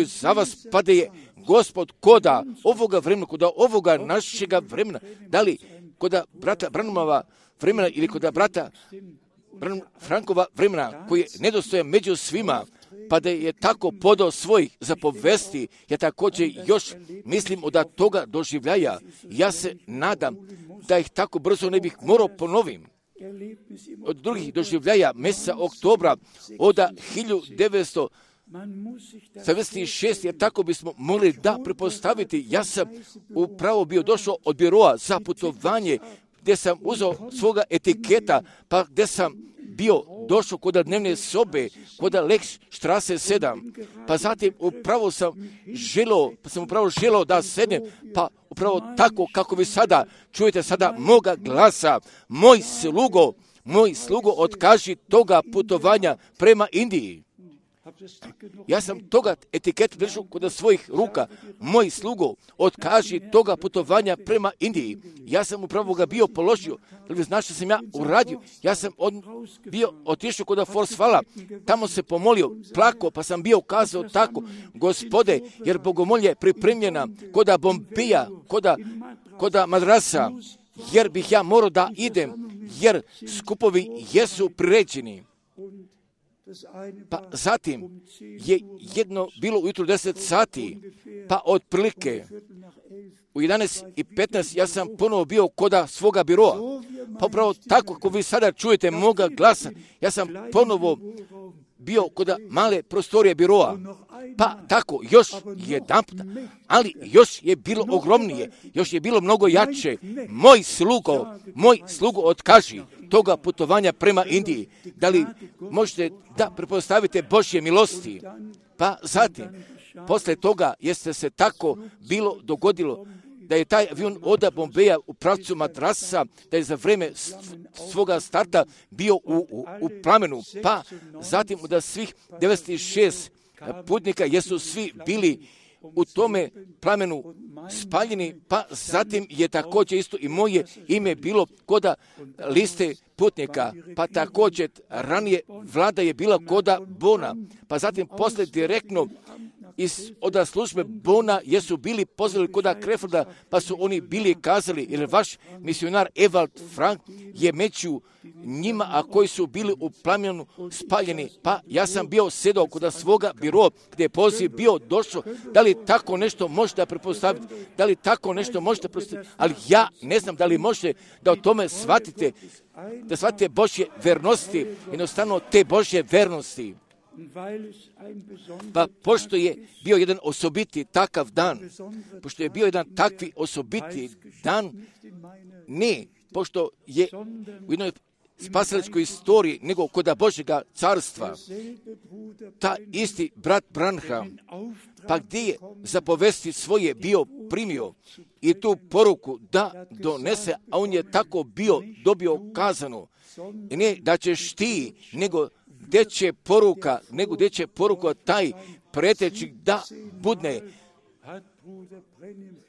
za vas, pa da je Gospod koda ovoga vremena, koda ovoga našega vremena, da li koda brata Branhamova vremena ili koda brata Frankova vremena, koji je nedostojan među svima, pa da je tako podao svojih zapovesti, ja također još mislim od toga doživljaja. Ja se nadam da ih tako brzo ne bih morao ponovim. Od drugih doživljaja mjeseca oktobra od 1976, jer tako bismo mogli da prepostaviti. Ja sam upravo bio došao od biroa za putovanje, gdje sam uzeo svoga etiketa, pa gdje sam bio došao kod dnevne sobe, kod Lex Strasse 7, pa zatim upravo sam želeo da sednem, pa upravo tako kako vi sada čujete sada moga glasa, moj slugo otkaži toga putovanja prema Indiji. Ja sam toga etiketu držao kod svojih ruka. Moj slugo, otkaži toga putovanja prema Indiji. Ja sam upravo ga bio položio. Da li znaš što sam ja uradio? Ja sam bio otišao kod Forsvala. Tamo se pomolio, plakao, pa sam bio kazao tako, Gospode, jer bogomolje je pripremljena kod Bombija, kod Madrasa, jer bih ja morao da idem, jer skupovi jesu priređeni. Pa zatim je jedno bilo ujutru 10 sati, pa otprilike u 11:15 ja sam ponovo bio koda svoga biroa. Pa upravo tako kako vi sada čujete moga glasa, ja sam ponovo bio koda male prostorije biroa. Pa tako, još jedanput, ali još je bilo ogromnije, još je bilo mnogo jače. Moj slugo otkaži toga putovanja prema Indiji. Da li možete da prepostavite Božje milosti? Pa zatim, posle toga jeste se tako bilo dogodilo da je taj avion od Bombeja u pravcu Madrasa, da je za vreme svoga starta bio u plamenu, pa zatim da svih 96 putnika jesu svi bili u tome plamenu spaljeni, pa zatim je također isto i moje ime bilo koda liste putnika, pa također ranije vlada je bila koda Bona, pa zatim posle direktno od službe Bona jesu bili pozvali koda Kreforda, pa su oni bili kazali, jer vaš misionar Evald Frank je među njima, a koji su bili u plamenu spaljeni, pa ja sam bio sedao kod svoga biroa gdje je poziv bio došao. Da li tako nešto možete prepostaviti? Da li tako nešto možete prepostaviti? Ali ja ne znam da li možete da o tome shvatite, da shvatite Božje vernosti, jednostavno te Božje vernosti. Pa pošto je bio jedan osobiti takav dan, pošto je bio jedan takvi osobiti dan, ne, pošto je u jednoj spasiličkoj istoriji, nego kod Božjega carstva, ta isti brat Branham, pa gdje je zapovesti svoje bio primio i tu poruku da donese, a on je tako bio dobio kazano, ne da ćeš ti, nego gdje će poruka taj preteći da budne.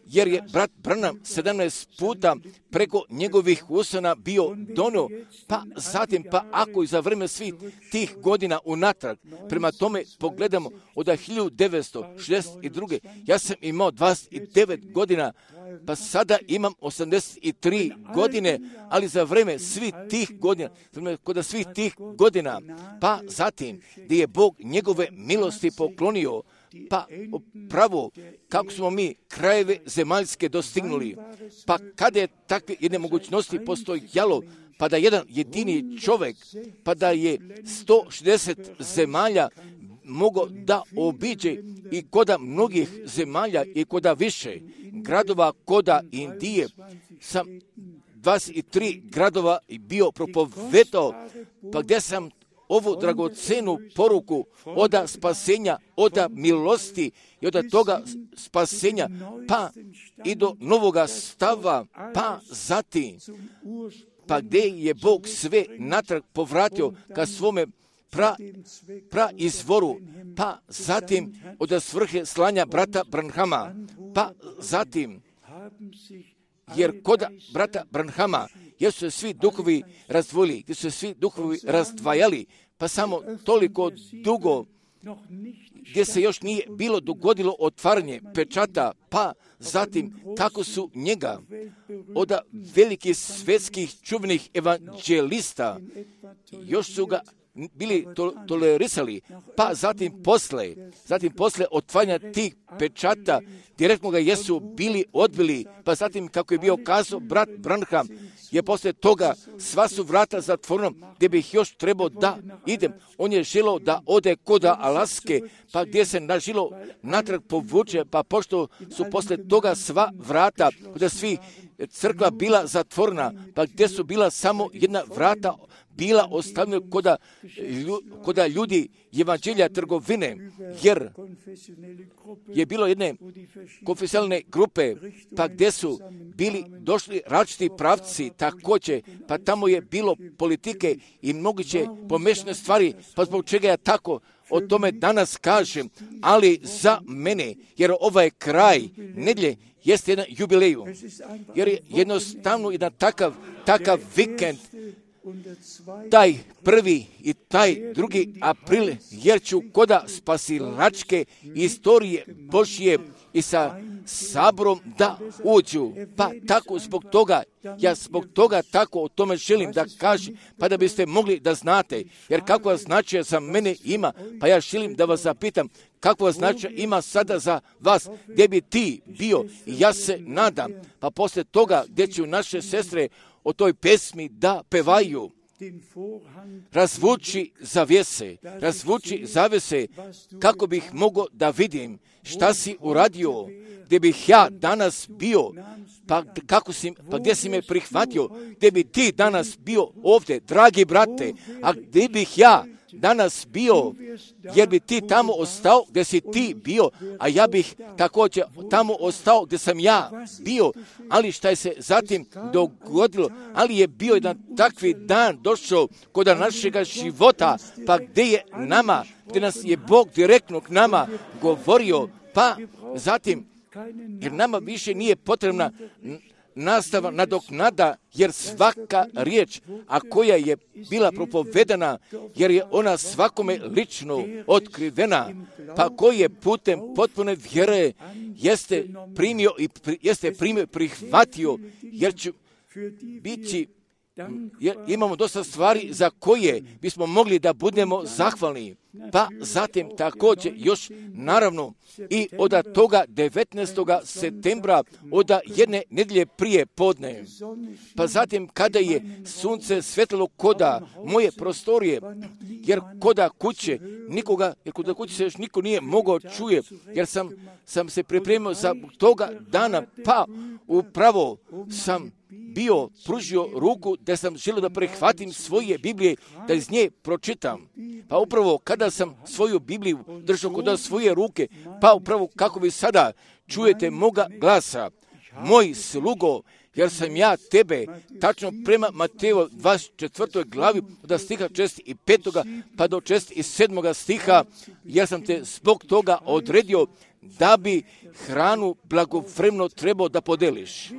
Jer je brat Branham 17 puta preko njegovih usana bio donio, pa zatim, pa ako i za vreme svih tih godina unatrag, prema tome pogledamo od 1962. Ja sam imao 29 godina, pa sada imam 83 godine, ali za vreme svih tih godina, pa zatim gdje je Bog njegove milosti poklonio, pa pravo kako smo mi krajeve zemaljske dostignuli, pa kada je takve jedne mogućnosti postojalo, pa da jedan jedini čovjek, pa da je 160 zemalja mogao da obiđe i koda mnogih zemalja i koda više gradova, koda Indije, sam 23 gradova bio propovedao, pa gdje sam ovu dragocenu poruku oda spasenja, oda milosti i oda toga spasenja, pa i do novoga stava, pa zatim, pa gdje je Bog sve natrag povratio ka svome izvoru, pa zatim od svrhe slanja brata Branhama, pa zatim, jer kod brata Branhama, jer su se svi duhovi razdvojili, gdje su se svi duhovi razdvajali, pa samo toliko dugo, gdje se još nije bilo dogodilo otvaranje pečata, pa zatim kako su njega od velikih svjetskih čuvenih evanđelista, još su ga bili tolerisali, pa zatim posle otvaranja tih pečata, direktno ga jesu bili odbili, pa zatim kako je bio kazao brat Branham, je posle toga sva su vrata zatvorena, gdje bih još trebao da idem. On je želio da ode koda Alaske, pa gdje se nažilo natrag povuče, pa pošto su posle toga sva vrata, gdje svi crkva bila zatvorena, pa gdje su bila samo jedna vrata bila ostavljena koda ljudi evanđelja trgovine, jer je bilo jedne konfesionalne grupe, pa gdje su bili došli različiti pravci također, pa tamo je bilo politike i moguće pomešane stvari, pa zbog čega ja tako o tome danas kažem, ali za mene, jer ovaj kraj nedjelje jeste jedan jubileju, jer je jednostavno jedan takav vikend, taj 1. i taj 2. april, jer ću koda spasilačke istorije Božje i sa saborom da uđu. Pa tako zbog toga tako o tome želim da kažem, pa da biste mogli da znate, jer kakva značaja za mene ima, pa ja želim da vas zapitam, kakva značaja ima sada za vas, gdje bi ti bio, i ja se nadam, pa posle toga gdje će naše sestre o toj pesmi da pevaju, razvuči zavese, kako bih mogao da vidim šta si uradio, gdje bih ja danas bio, pa gdje si me prihvatio, gdje bi ti danas bio ovdje, dragi brate, a gdje bih ja danas bio, jer bi ti tamo ostao gdje si ti bio, a ja bih također tamo ostao gdje sam ja bio, ali šta je se zatim dogodilo, ali je bio jedan takvi dan došao kod našega života, pa gdje nas je Bog direktno k nama govorio, pa zatim, jer nama više nije potrebna nastava nadoknada, jer svaka riječ, a koja je bila propovedana, jer je ona svakome lično otkrivena, pa koji je putem potpune vjere jeste primio i prihvatio, jer će biti, jer imamo dosta stvari za koje bismo mogli da budemo zahvalni. Pa zatim također još naravno i od toga 19. septembra od jedne nedjelje prije podne. Pa zatim kada je sunce svetlo koda moje prostorije, jer koda kuće se još niko nije mogao čuje, jer sam se pripremio za toga dana, pa upravo sam bio pružio ruku da sam želio da prihvatim svoje Biblije, da iz nje pročitam. Pa upravo kada sam svoju Bibliju držao kod svoje ruke, pa upravo kako vi sada čujete moga glasa, moj slugo, jer sam ja tebe, tačno prema Mateju 24. glavi, od stiha 65. pa do 67. stiha, jer sam te zbog toga odredio da bi hranu blagovremeno trebao da podeliš.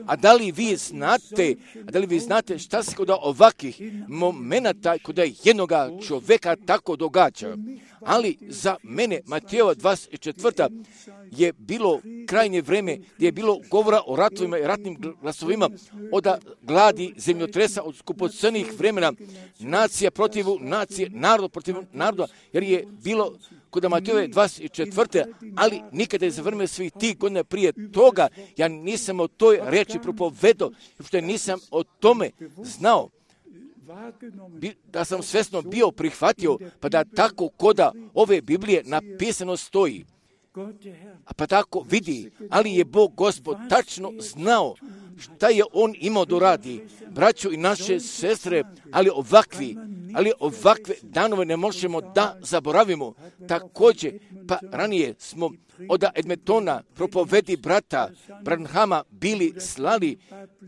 A da li vi znate šta se kod ovakvih momenata kod jednoga čovjeka tako događa? Ali za mene, Matejova 24. je bilo krajnje vrijeme gdje je bilo govora o ratovima i ratnim glasovima, od gladi, zemljotresa, od skupocrnih vremena, nacija protiv nacije, narod protiv naroda, jer je bilo kod Matejove 24. ali nikada je za vrijeme svih tih godina prije toga, ja nisam o toj riječi propovedao, što nisam o tome znao. Da sam svjesno bio prihvatio, pa da tako koda ove Biblije napisano stoji. A pa tako vidi, ali je Bog Gospod tačno znao šta je on imao da radi. Braćo i naše sestre, ali ovakve danove ne možemo da zaboravimo. Također, pa ranije smo od Edmontona propovedi brata Branhama bili slali,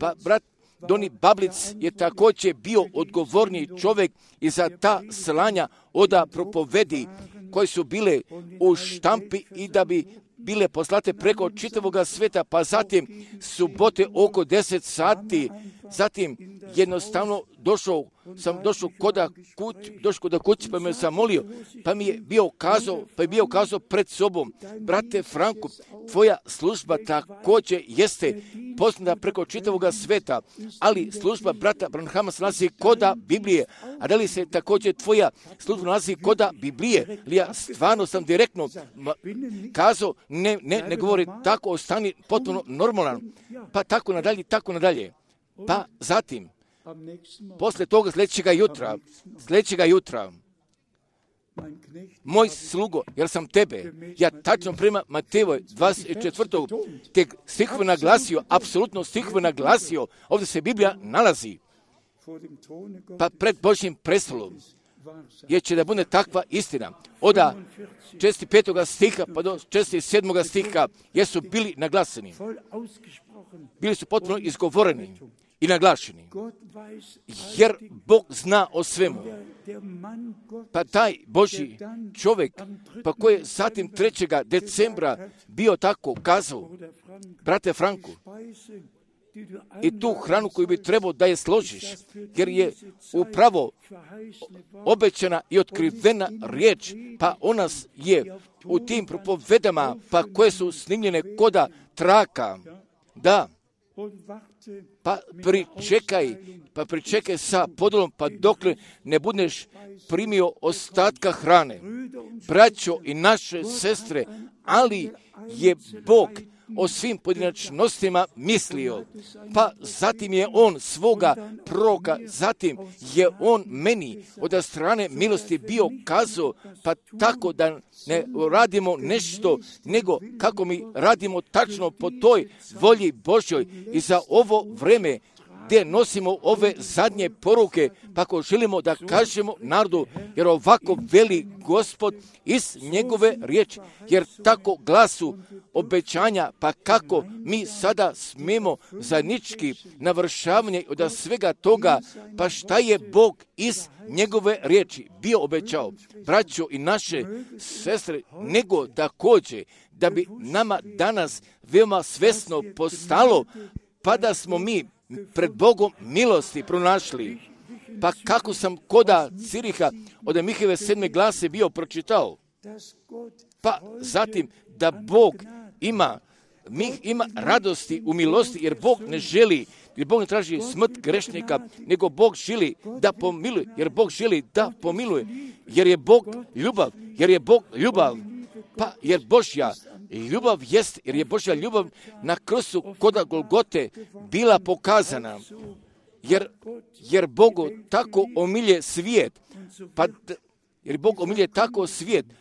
pa brat Doni Bablic je također bio odgovorni čovjek i za ta slanja od propovedi koje su bile u štampi i da bi bile poslate preko čitavog svijeta, pa zatim subote oko 10 sati, zatim jednostavno došao kod kući, pa me sam molio, pa je bio kazao pred sobom, brate Franku, tvoja služba također jeste poznata preko čitavog svijeta, ali služba brata Branhama se nalazi koda Biblije, a da li se također tvoja služba nalazi koda Biblije? Ja stvarno sam direktno kazao, ne govori tako, ostani potpuno normalan, pa tako nadalje. Pa zatim, posle toga sljedećega jutra, moj slugo, jer sam tebe, ja tačno prema Matejevoj 24. te stihove naglasio, apsolutno stihove naglasio, ovdje se Biblija nalazi, pa pred Božjim prestolom, jer će da bude takva istina. Od 45. stiha pa do 47. stiha, jer su bili naglaseni, bili su potpuno izgovoreni i naglašeni, jer Bog zna o svemu. Pa taj Božji čovjek, pa koji je zatim 3. decembra bio tako kazao, brate Franku, i tu hranu koju bi trebao da je složiš, jer je upravo obećana i otkrivena riječ, pa ona je u tim propovedama, pa koje su snimljene koda traka, da, pa pričekaj sa podolom, pa dokle ne budeš primio ostatka hrane. Braćo i naše sestre, ali je Bog o svim pojedinačnostima mislio, pa zatim je on svoga proroka, zatim je on meni od strane milosti bio kazao, pa tako da ne radimo nešto, nego kako mi radimo tačno po toj volji Božjoj i za ovo vreme gdje nosimo ove zadnje poruke, pa ako želimo da kažemo narodu, jer ovako veli Gospod iz njegove riječi, jer tako glasu obećanja, pa kako mi sada smemo zajednički navršavanje od svega toga, pa šta je Bog iz njegove riječi bio obećao, braćo i naše sestre, nego također da bi nama danas veoma svesno postalo, pa da smo mi pred Bogom milosti pronašli. Pa kako sam koda Ciriha od Mihajeve 7. glase bio pročitao. Pa zatim da Bog ima radosti u milosti, jer Bog ne želi, jer Bog ne traži smrt grešnika, nego Bog želi da pomiluje, jer Bog želi da pomiluje, jer je Bog ljubav, pa jer Božja ljubav jest, jer je Božja ljubav na krstu koda Golgote bila pokazana, jer Bogu tako omilje svijet,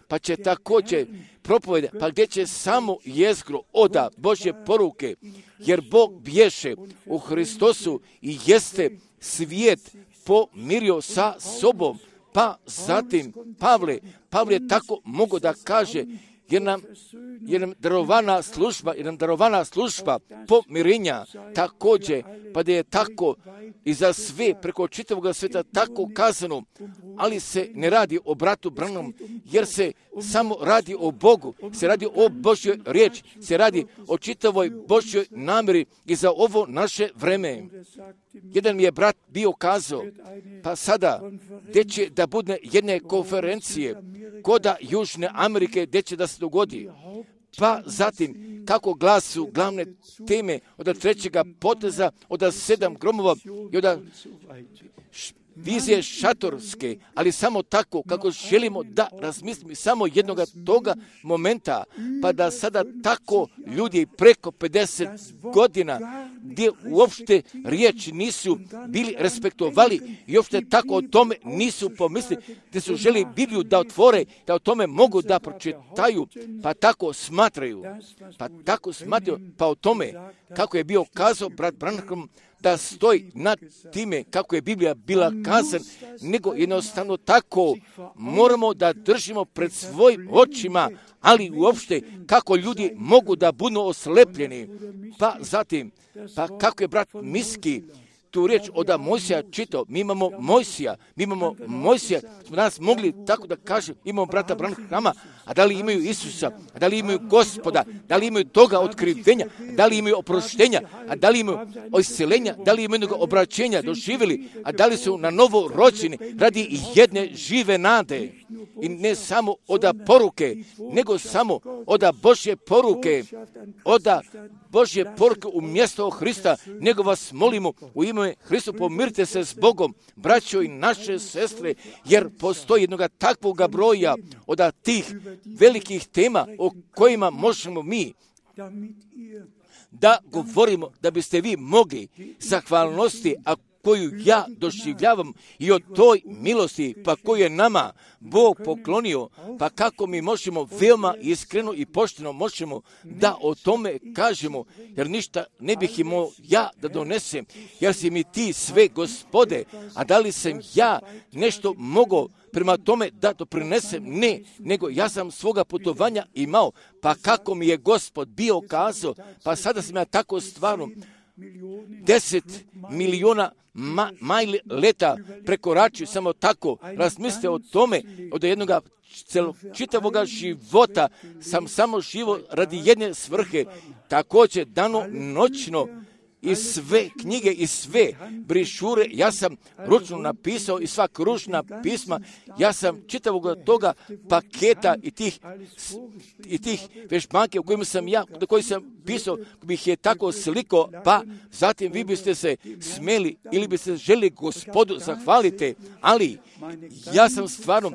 pa će također propovede, pa gdje će samo jezgro oda Božje poruke, jer Bog bješe u Hristosu i jeste svijet pomirio sa sobom. Pa zatim Pavle tako mogu da kaže, jer nam darovana služba pomirenja također, pa da je tako i za sve preko čitavog svijeta tako kazano, ali se ne radi o bratu Branham, jer se samo radi o Bogu, se radi o Božjoj riječi, se radi o čitavoj Božjoj namjeri i za ovo naše vreme. Jedan mi je brat bio kazao, pa sada, gdje će da bude jedne konferencije koda Južne Amerike, gdje će da se dogodi. Pa zatim, kako glasu glavne teme od trećega poteza, od 7 gromova i od vizije šatorske, ali samo tako kako želimo da razmislimo samo jednoga toga momenta, pa da sada tako ljudi preko 50 godina gdje uopšte riječi nisu bili respektovali i uopšte tako o tome nisu pomislili, gdje su želi Bibliju da otvore, da o tome mogu da pročitaju, pa tako smatraju, pa o tome kako je bio kazao brat Branham, da stoji nad time kako je Biblija bila kazan, nego jednostavno tako moramo da držimo pred svojim očima, ali uopšte kako ljudi mogu da budu oslepljeni. Pa zatim, pa kako je brat Miski tu riječ od Mojsija čitao, mi imamo Mojsija, smo danas mogli tako da kažemo, imamo brata Branhama, a da li imaju Isusa, a da li imaju Gospoda, da li imaju toga otkrivenja, da li imaju oproštenja, a da li imaju isceljenja, da li imaju obraćenja doživjeli, a da li su na novo rođeni radi jedne žive nade. I ne samo od poruke, nego samo od Božje poruke, u mjesto Hrista, nego vas molimo u ime Hrista, pomirite se s Bogom, braćo i naše sestre, jer postoji jednoga takvoga broja od tih velikih tema o kojima možemo mi da govorimo, da biste vi mogli zahvalnosti, a koju ja doživljavam i o toj milosti, pa koju je nama Bog poklonio, pa kako mi možemo veoma iskreno i pošteno možemo da o tome kažemo, jer ništa ne bih imao ja da donesem, jer si mi ti sve, Gospode, a da li sam ja nešto mogao prema tome da doprinesem? Ne, nego ja sam svoga putovanja imao, pa kako mi je Gospod bio kazao, pa sada sam ja tako stvarno 10 miliona majli leta prekoračio, samo tako razmislite o tome, od jednog čitavoga života sam samo živo radi jedne svrhe, također dano noćno, i sve knjige i sve brišure, ja sam ručno napisao i sva kružna pisma, ja sam čitavog toga paketa i tih vježbanke u kojima sam ja, do kojih sam pisao, bih je tako sliko, pa zatim vi biste se smeli ili biste želi Gospodu zahvalite, ali ja sam stvarno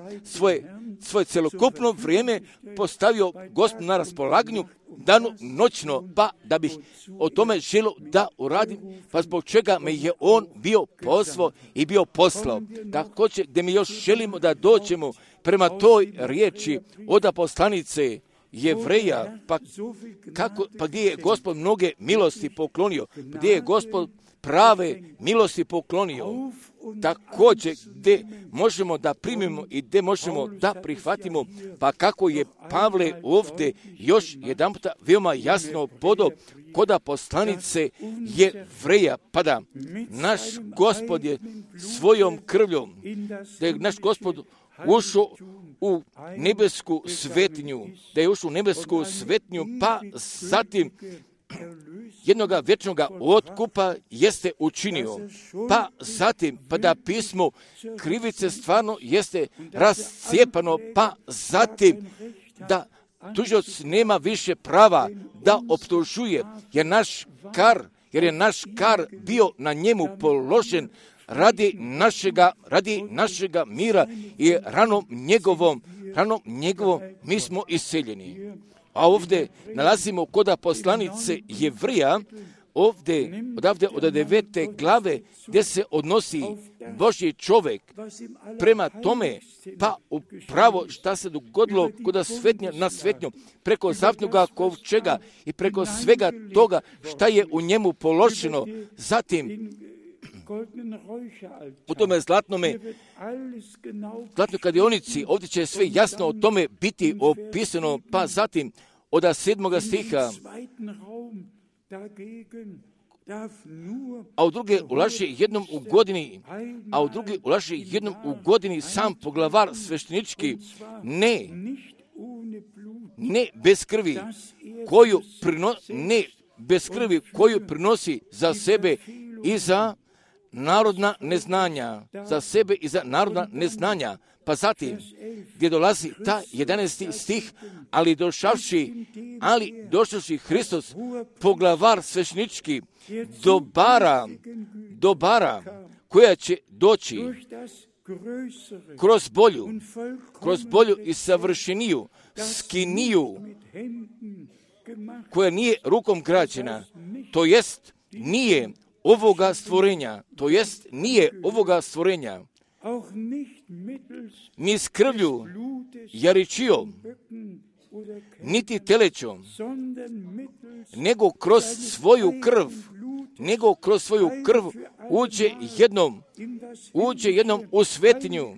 svoje celokupno vrijeme postavio Gospodu na raspolaganju, danu noćno, pa da bih o tome želio da uradim, pa zbog čega me je on bio pozvao i bio poslao. Također, gdje mi još želimo da dođemo prema toj riječi od poslanice Jevreja, pa gdje je Gospod mnoge milosti poklonio, gdje je Gospod prave milosti poklonio, također gdje možemo da primimo i gdje možemo da prihvatimo, pa kako je Pavle ovdje još jedan puta veoma jasno podao koda poslanice Jevreja, pa da naš Gospod je svojom krvljom, da je naš Gospod ušao u nebesku svetinju, pa zatim jednoga vječnoga otkupa jeste učinio, pa zatim, pa da pismo krivice stvarno jeste rascijepano, pa zatim da tužioc nema više prava da optužuje, jer je naš kar bio na njemu položen radi našega mira i ranom njegovom mi smo isceljeni. A ovdje nalazimo koda poslanice Jevreja, odavde od 9. glave, gdje se odnosi Božji čovjek prema tome, pa upravo šta se dogodilo koda na svetnju, preko zavnoga kovčega i preko svega toga šta je u njemu položeno. Zatim, u tome zlatnoj kadionici, ovdje će sve jasno o tome biti opisano, pa zatim od 7. stiha, a u druge ulaže jednom u godini sam poglavar sveštenički, ne bez krvi, koju prinosi za sebe i za narodna neznanja, Pa zatim, gdje dolazi ta 11. stih, ali došavši Hristos, poglavar sveštenički, dobara koja će doći kroz bolju i savršeniju skiniju, koja nije rukom građena, to jest nije ovoga stvorenja, ni s krvlju jaričijom, niti telećom, nego kroz svoju krv uđe jednom u svetinju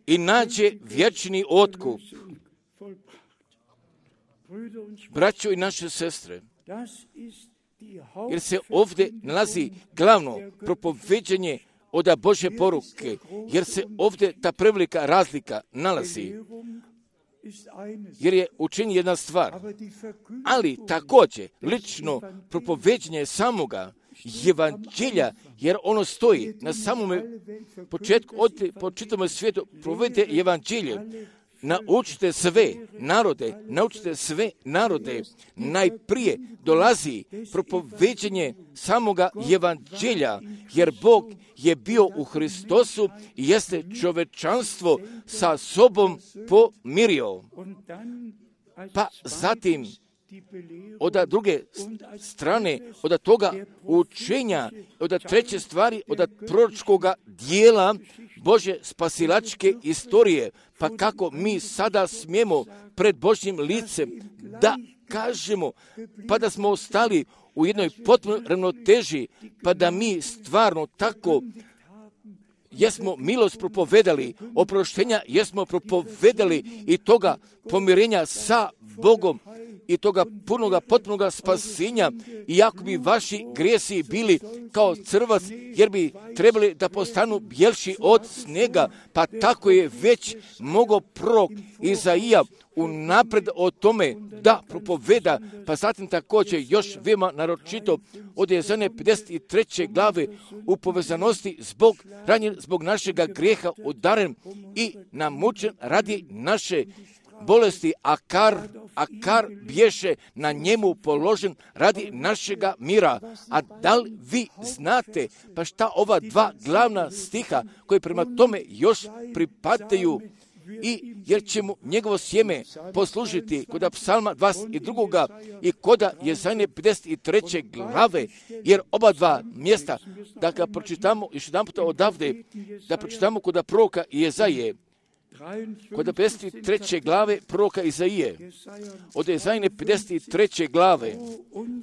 i nađe vječni otkup. Braćo i naše sestre, jer se ovdje nalazi glavno propoveđanje od Božje poruke, jer se ovdje ta prevelika razlika nalazi, jer je učinjena jedna stvar, ali također lično propoveđanje samoga evanđelja, jer ono stoji na samome početku, po čitavom svijetu provedite evanđelje. Naučite sve narode, najprije dolazi propoveđanje samoga evanđelja, jer Bog je bio u Hristosu i jeste čovečanstvo sa sobom pomirio. Pa zatim, od druge strane, od toga učenja, od treće stvari, od proročkoga dijela Božje spasilačke istorije, pa kako mi sada smijemo pred Božjim licem da kažemo, pa da smo ostali u jednoj potpunoj ravnoteži, pa da mi stvarno tako jesmo milost propovedali, oproštenja jesmo propovedali i toga pomirenja sa Bogom i toga potpunoga spasenja, iako bi vaši grijesi bili kao crvac, jer bi trebali da postanu bjelši od snijega, pa tako je već mogao prorok Izaija unaprijed o tome da propoveda, pa zatim također još veoma naročito od Jezanje 53. glave u povezanosti zbog našega grijeha udaren i namučen radi naše bolesti, a kar bješe na njemu položen radi našega mira. A da li vi znate pa šta ova dva glavna stiha koji prema tome još pripadaju, i jer će mu njegovo sjeme poslužiti kod psalma 22. i kod Jezanje 53. glave, jer oba dva mjesta, da ga pročitamo još jedan puta odavde, da pročitamo kod proroka Jezaje, kod 53. glave proroka Izaije, od Jezajne 53. glave,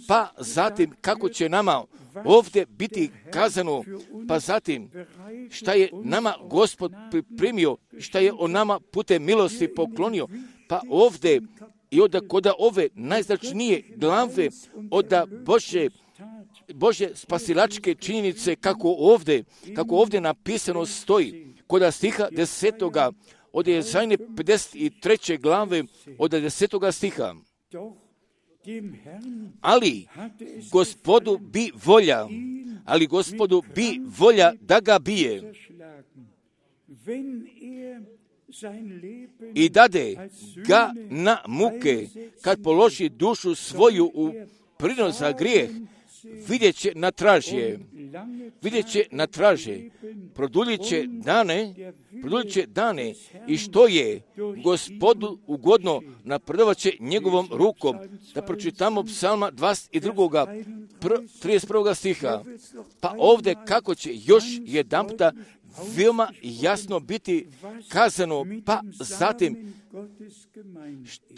pa zatim kako će nama ovdje biti kazano, pa zatim šta je nama Gospod pripremio, šta je on nama putem milosti poklonio, pa ovdje i kod ove najznačajnije glave od Božje spasilačke činjenice, kako ovdje napisano stoji, kod stiha 10. od Jezajne 53. glave od 10. stiha. Ali Gospodu bi volja da ga bije i dade ga na muke, kad položi dušu svoju u prinos za grijeh, vidjet će na traže, produljit će dane i što je Gospodu ugodno napredovat će njegovom rukom. Da pročitamo psalma 22. 31. stiha. Pa ovdje kako će još jedanputa veoma jasno biti kazano, pa zatim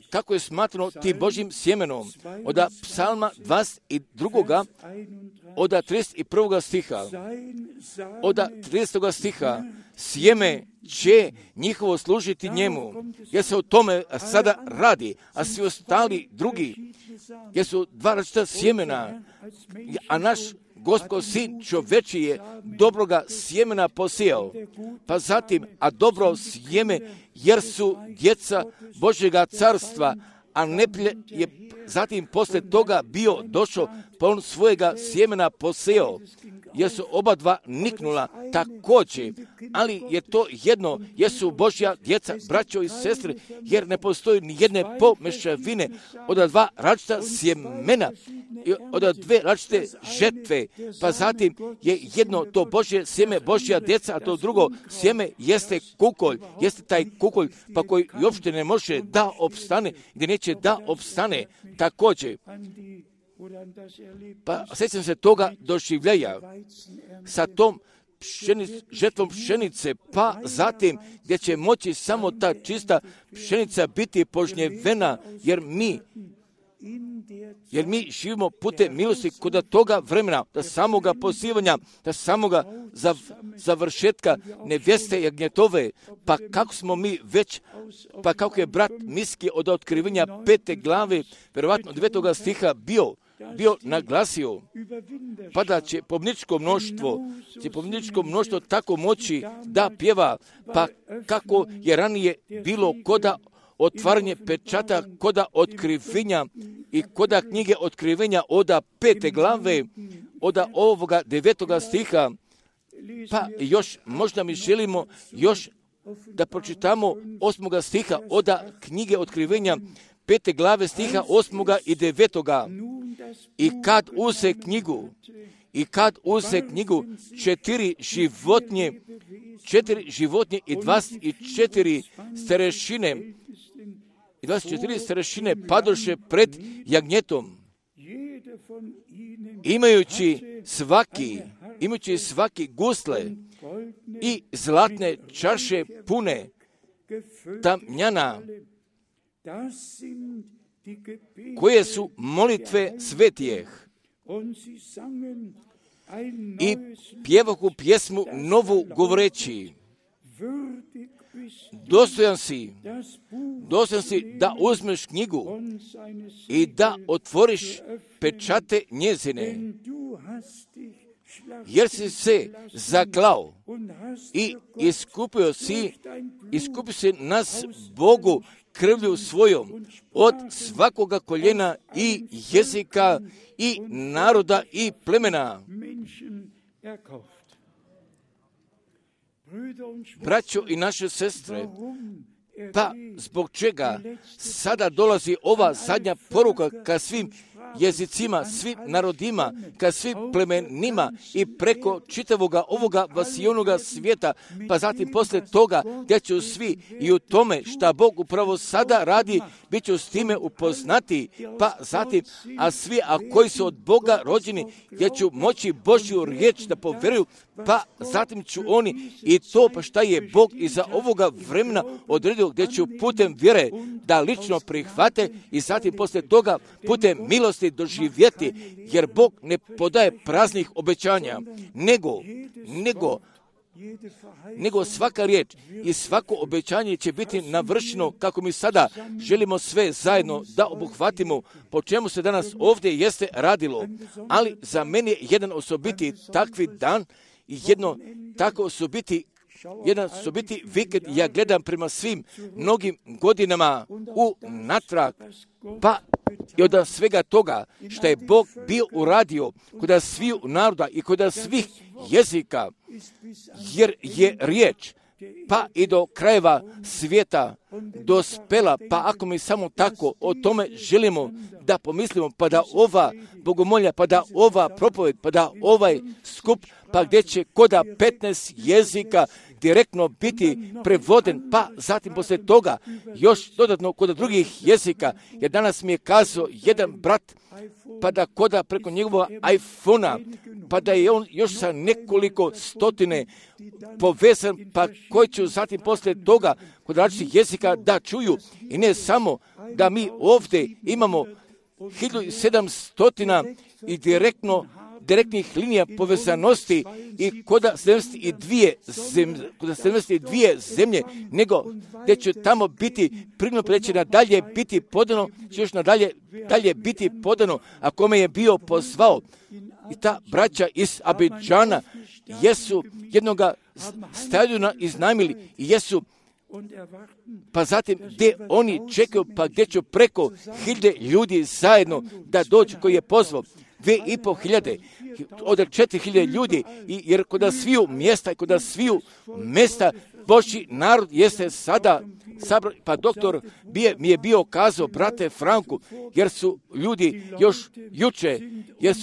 kako je smatrano tim Božjim sjemenom. Od psalma 22. od 31. stiha, od 30. stiha, sjeme će njihovo služiti njemu, jer se o tome sada radi, a svi ostali drugi, jer su dva različita sjemena, a naš Gospod sin čovječiji je dobroga sjemena posijao, pa zatim, a dobro sjeme, jer su djeca Božjega carstva, a neprijatelj je zatim poslije toga bio došao, pa on svojega sjemena posijao, jer su oba dva niknula također, ali je to jedno, jer su Božja djeca, braćo i sestre, jer ne postoji ni jedne pomešavine od dva različita sjemena, od dve različite žetve, pa zatim je jedno to Božje sjeme, Božja djeca, a to drugo sjeme jeste kukolj, jeste taj kukolj, pa koji uopšte ne može da opstane, gdje neće da opstane također. Pa sjećam se toga doživljaja sa tom žetvom pšenice, pa zatim gdje će moći samo ta čista pšenica biti požnjevena, jer mi živimo putem milosti kod toga vremena, da samoga pozivanja, da samoga završetka nevjeste jagnjetove, pa kako smo mi već, pa kako je brat Miski od otkrivenja 5. glave, vjerovatno 9. stiha bio naglasio, pa da će pobjedničko mnoštvo tako moći da pjeva, pa kako je ranije bilo koda otvaranje pečata, koda otkrivenja i koda knjige otkrivenja od 5. glave, od ovoga 9. stiha, pa još možda mi želimo još da pročitamo 8. stiha od knjige otkrivenja 5. glave stiha 8. i 9. I kad uze knjigu 4 životinje i 24 starešine padoše pred jagnjetom, imajući svaki gusle i zlatne čaše pune tamjana, koje su molitve svetijeh, i pjevahu pjesmu novu govoreći, dostojan si da uzmeš knjigu i da otvoriš pečate njezine, jer si se zaklao i iskupio si nas Bogu krvlju svojom od svakoga koljena i jezika i naroda i plemena. Braćo i naše sestre, pa zbog čega sada dolazi ova zadnja poruka ka svim jezicima, svim narodima, ka svim plemenima i preko čitavoga ovoga vasijonoga svijeta, pa zatim poslije toga gdje će svi i u tome šta Bog upravo sada radi, bit će s time upoznati, pa zatim, a svi, a koji su od Boga rođeni, gdje ću moći Božju riječ da povjeruju, pa zatim ću oni i to pa šta je Bog iza ovoga vremena odredio, gdje ću putem vjere da lično prihvate i zatim poslije toga putem milosti doživjeti, jer Bog ne podaje praznih obećanja, nego svaka riječ i svako obećanje će biti navršeno kako mi sada želimo sve zajedno da obuhvatimo, po čemu se danas ovdje jeste radilo. Ali za mene je jedan osobiti takvi dan i jedno tako osobiti vikend, ja gledam prema svim mnogim godinama unatrag, pa i od svega toga što je Bog bio uradio kod sviju naroda i kod svih jezika, jer je riječ pa i do krajeva svijeta dospela, pa ako mi samo tako o tome želimo da pomislimo, pa da ova bogomolja, pa da ova propoved, pa da ovaj skup, pa gdje će koda 15 jezika, direktno biti prevoden, pa zatim poslije toga još dodatno kod drugih jezika, jer danas mi je kazao jedan brat, pa da koda preko njegovog iPhona, pa da je on još sa nekoliko stotine povezan, pa koji će zatim poslije toga kod različitih jezika da čuju. I ne samo da mi ovdje imamo 1700 i direktnih linija povezanosti i kod 72 zemlje, nego gdje će tamo biti prirodno preći nadalje biti podano, će još dalje biti podano, a kome je bio pozvao. I ta braća iz Abidžana jesu jednoga stadiona iznajmili i jesu, pa zatim gdje oni čekaju, pa gdje će preko 1000 ljudi zajedno da dođu koji je pozvao. 2500 od 4000 ljudi, jer kod sviju mjesta Božji narod jeste sada sabran, pa doktor mi je bio kazao, brate Franku, jer su ljudi još juče, jer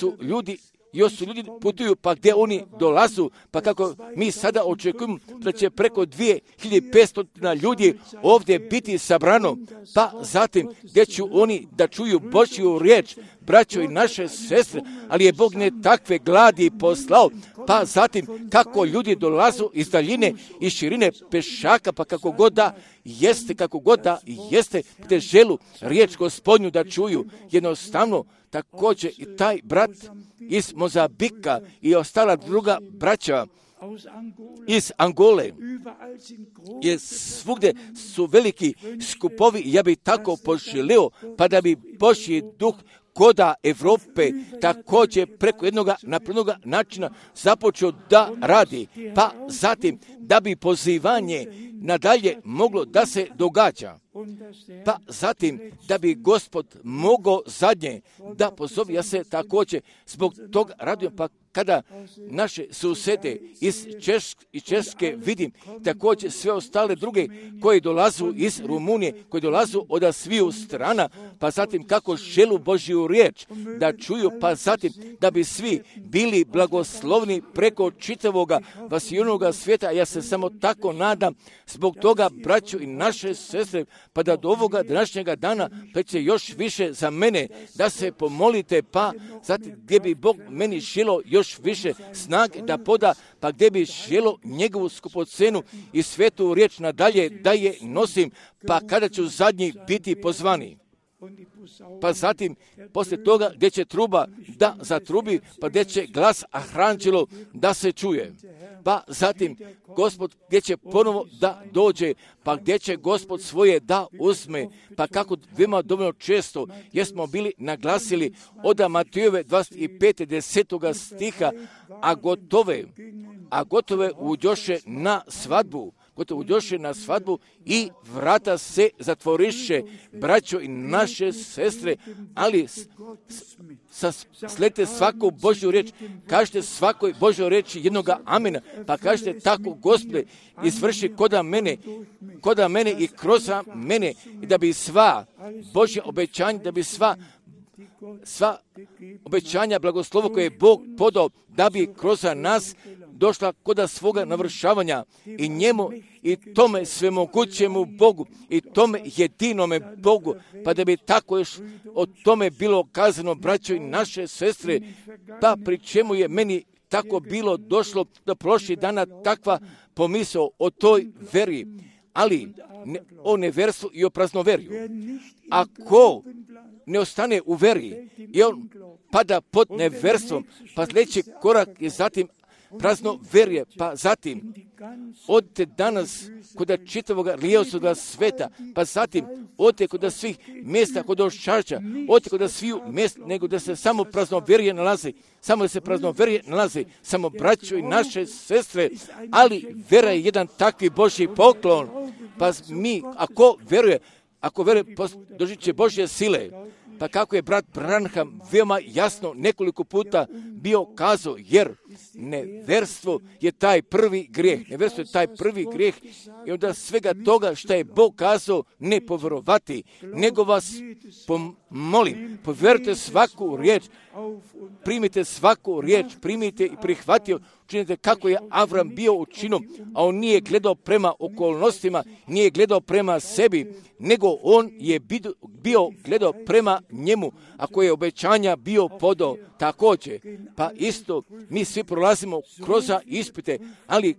su ljudi putuju, pa gdje oni dolazu, pa kako mi sada očekujemo da će preko 2500 ljudi ovdje biti sabrano, pa zatim gdje će oni da čuju Božju riječ, braćo i naše sestre, ali je Bog ne takve gladi poslao, pa zatim kako ljudi dolazu iz daljine i širine pešaka, pa kako god da jeste, te želu riječ Gospodnju da čuju. Jednostavno, također i taj brat iz Mozambika i ostala druga braća iz Angole, jer svugdje su veliki skupovi, ja bih tako poželio, pa da bi Božji duh koda Evrope također preko jednog naprednog načina započeo da radi, pa zatim da bi pozivanje nadalje moglo da se događa, pa zatim da bi Gospod mogao zadnje da pozovi. Ja se također zbog toga radujem, pa kada naše susjede iz Češke vidim, također sve ostale druge koji dolazu iz Rumunije, koji dolazu od sviju strana, pa zatim kako želu Božju riječ da čuju, pa zatim da bi svi bili blagoslovni preko čitavoga vasijonoga svijeta. Ja se samo tako nadam zbog toga, braću i naše sestre, pa da do ovoga današnjega dana će još više za mene da se pomolite, pa zatim gdje bi Bog meni želo još više snage da poda, pa gdje bi želo njegovu skupocenu i svetu riječ nadalje da je nosim, pa kada ću zadnji biti pozvani. Pa zatim, poslije toga gdje će truba da zatrubi, pa gdje će glas aranđelo da se čuje. Pa zatim, Gospod gdje će ponovo da dođe, pa gdje će Gospod svoje da uzme, pa kako veoma dovoljno često jesmo bili naglasili od Matejove 25. 10. stiha, a gotove uđoše na svadbu, i vrata se zatvoriše, braćo i naše sestre, ali sledite svaku Božju riječ, kažete svakoj Božjoj riječi jednoga amena, pa kažete tako, Gospode, izvrši koda mene i kroz mene, i da bi sva Božja obećanja, da bi sva obećanja blagoslova koje je Bog podao, da bi kroz nas došla kod svoga navršavanja i njemu i tome svemogućemu Bogu i tome jedinome Bogu, pa da bi tako još o tome bilo kazano, braćo i naše sestre, pa pri čemu je meni tako bilo došlo do prošlih dana takva pomisao o toj veri, ali o neverstvu i o praznoverju. Ako ne ostane u veri i on pada pod neverstvom, pa sljedeći korak je zatim prazno verje, pa zatim odite danas kod čitavog lijevoga sveta, pa zatim odite kod svih mjesta, kod oščača, odite kod svih mjesta, nego da se samo prazno verje nalazi, samo braćo i naše sestre, ali vera je jedan takvi Božji poklon, pa mi, ako veruje, dožit će Božje sile. Pa kako je brat Branham veoma jasno nekoliko puta bio kazao, jer Neverstvo je taj prvi grijeh. Neverstvo je taj prvi grijeh i onda svega toga što je Bog kazao ne povjerovati, nego vas molim, povjerujte svaku riječ, primite svaku riječ, primite i prihvatio, učinite kako je Avram bio učinio, a on nije gledao prema okolnostima, nije gledao prema sebi, nego on je bio gledao prema njemu, ako je obećanja bio podao također. Pa isto, mi svi prolazimo kroz ispite, ali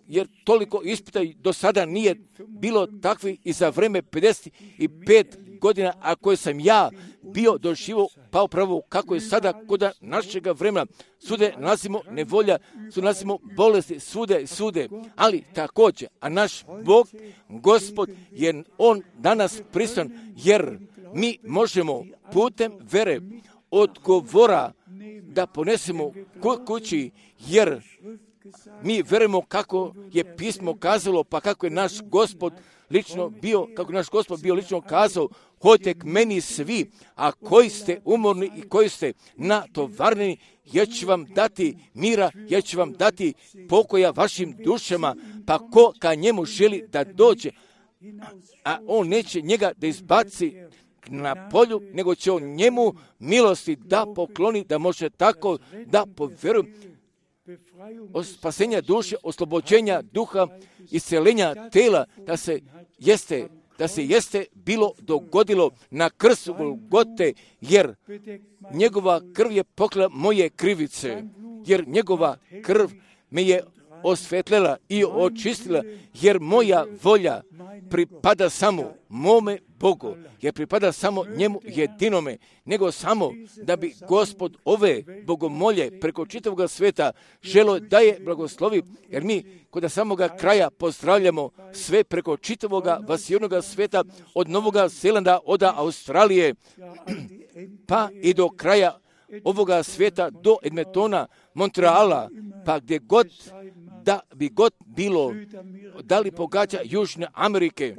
jer toliko ispita do sada nije bilo takvi i za vreme 55 godina, a koje sam ja bio doživio, pa upravo kako je sada kod našega vremena. Svude nalazimo nevolja, svude nalazimo bolesti, svude, ali također, a naš Bog, Gospod, je on danas prisutan, jer mi možemo putem vere odgovora da ponesemo kući, jer mi verujemo kako je pismo kazalo, pa kako je naš Gospod lično bio, kako naš Gospod bio lično kazao, hodite k meni svi, a koji ste umorni i koji ste natovareni, ja ću vam dati mira, ja ću vam dati pokoja vašim dušama, pa ko ka njemu želi da dođe, a on neće njega da izbaci na polju, nego će on njemu milosti da pokloni, da može tako da povjeruje, od spasenja duše, oslobođenja duha, isceljenja tela, da se jeste bilo dogodilo na krstu Golgote, jer njegova krv je pokrila moje krivice, jer njegova krv me je osvetljela i očistila, jer moja volja pripada samo mome Bogu, jer pripada samo njemu jedinome, nego samo da bi Gospod ove bogomolje preko čitavog sveta želo da je blagoslovi, jer mi kod samoga kraja pozdravljamo sve preko čitavog vasijonog sveta, od Novoga Zelanda, od Australije, pa i do kraja ovoga svijeta, do Edmontona, Montreala, pa gdje god da bi god bilo, da li pogađa Južne Amerike,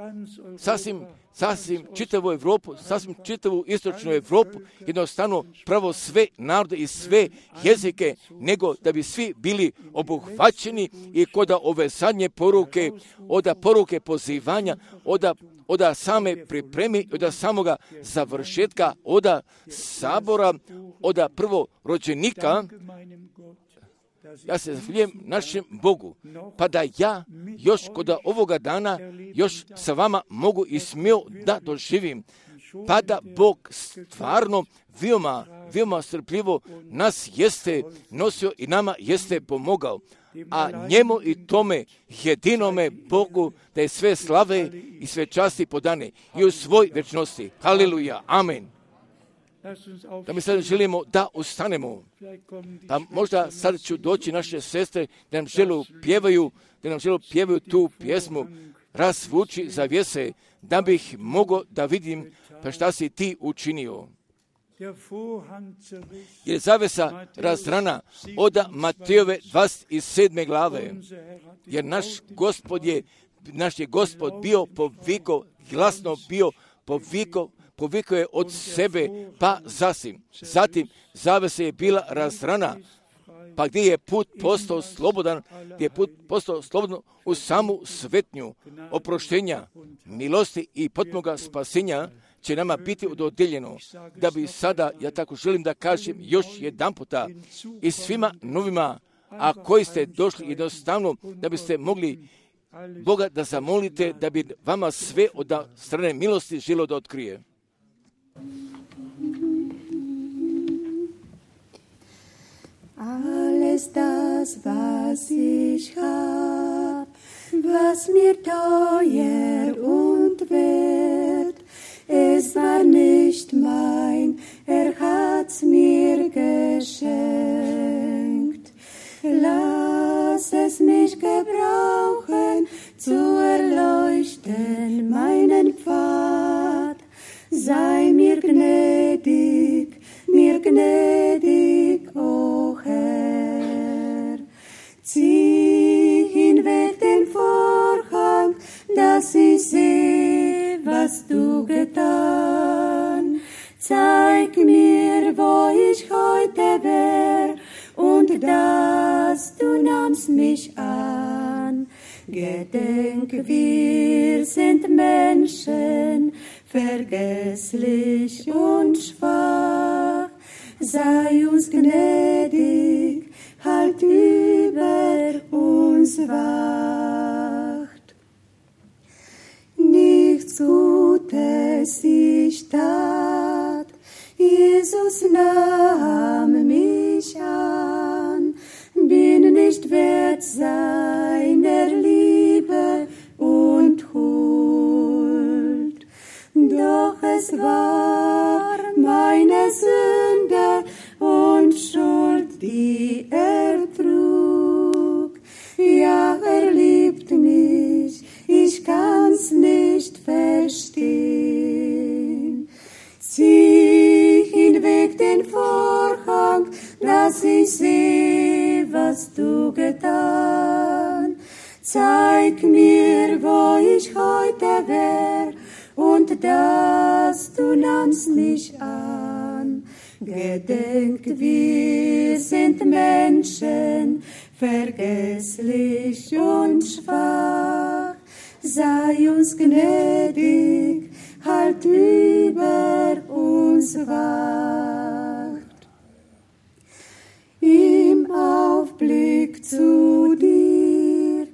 sasvim čitavu Evropu, sasvim čitavu istočnu Evropu, jednostavno pravo sve narode i sve jezike, nego da bi svi bili obuhvaćeni i kod ove zadnje poruke, od poruke pozivanja, od same pripremi, od samoga završetka, od sabora, od prvorođenika. Ja se zahvaljujem našem Bogu, pa da ja još kod ovoga dana još sa vama mogu i smio da doživim, pa da Bog stvarno veoma strpljivo nas jeste nosio i nama jeste pomogao, a njemu i tome jedinome Bogu da je sve slave i sve časti podane i u svoj večnosti. Haleluja, amen. Da mi sad želimo da ustanemo. Pa možda sad ću doći naše sestre da nam žele pjevaju tu pjesmu Razvuči zavjese, da bih mogao da vidim pa šta si ti učinio. Jer zavesa razrana od Matejove 27. glave, jer naš je Gospod bio povikao, glasno bio povikao je od sebe, pa zatim zavesa je bila razrana, pa gdje je put postao slobodan, u samu svetnju oproštenja, milosti i potpunoga spasenja će nama biti dodijeljeno, da bi sada, ja tako želim da kažem još jedan puta, i svima novima, a koji ste došli jednostavno, da biste mogli Boga da zamolite, da bi vama sve od strane milosti želo da otkrije. Alles das, was ich hab, was mir teuer und wert, es war nicht mein, hat's mir geschenkt. Lass es mich gebrauchen, zu erleuchten meinen Pfad. Sei mir gnädig, o Herr. Zieh hinweg den Vorhang, dass ich sehe, was du getan. Zeig mir, wo ich heute wär, und dass du nahmst mich an. Gedenk, wir sind Menschen, vergesslich und schwach. Sei uns gnädig, halt über uns wacht. Nichts Gutes ich tat, Jesus nahm mich an, bin nicht wert seiner Liebe und Huld. Doch es war meine Sünde und Schuld, die er trug. Ja, er liebt mich, ich kann's nicht verstehen. Zieh hinweg den Vorhang, dass ich seh, was du getan. Zeig mir, wo ich heute wär, und dass du nahmst mich an. Gedenk, wir sind Menschen, vergesslich und schwach. Sei uns gnädig, halt über uns wacht. Im Aufblick zu dir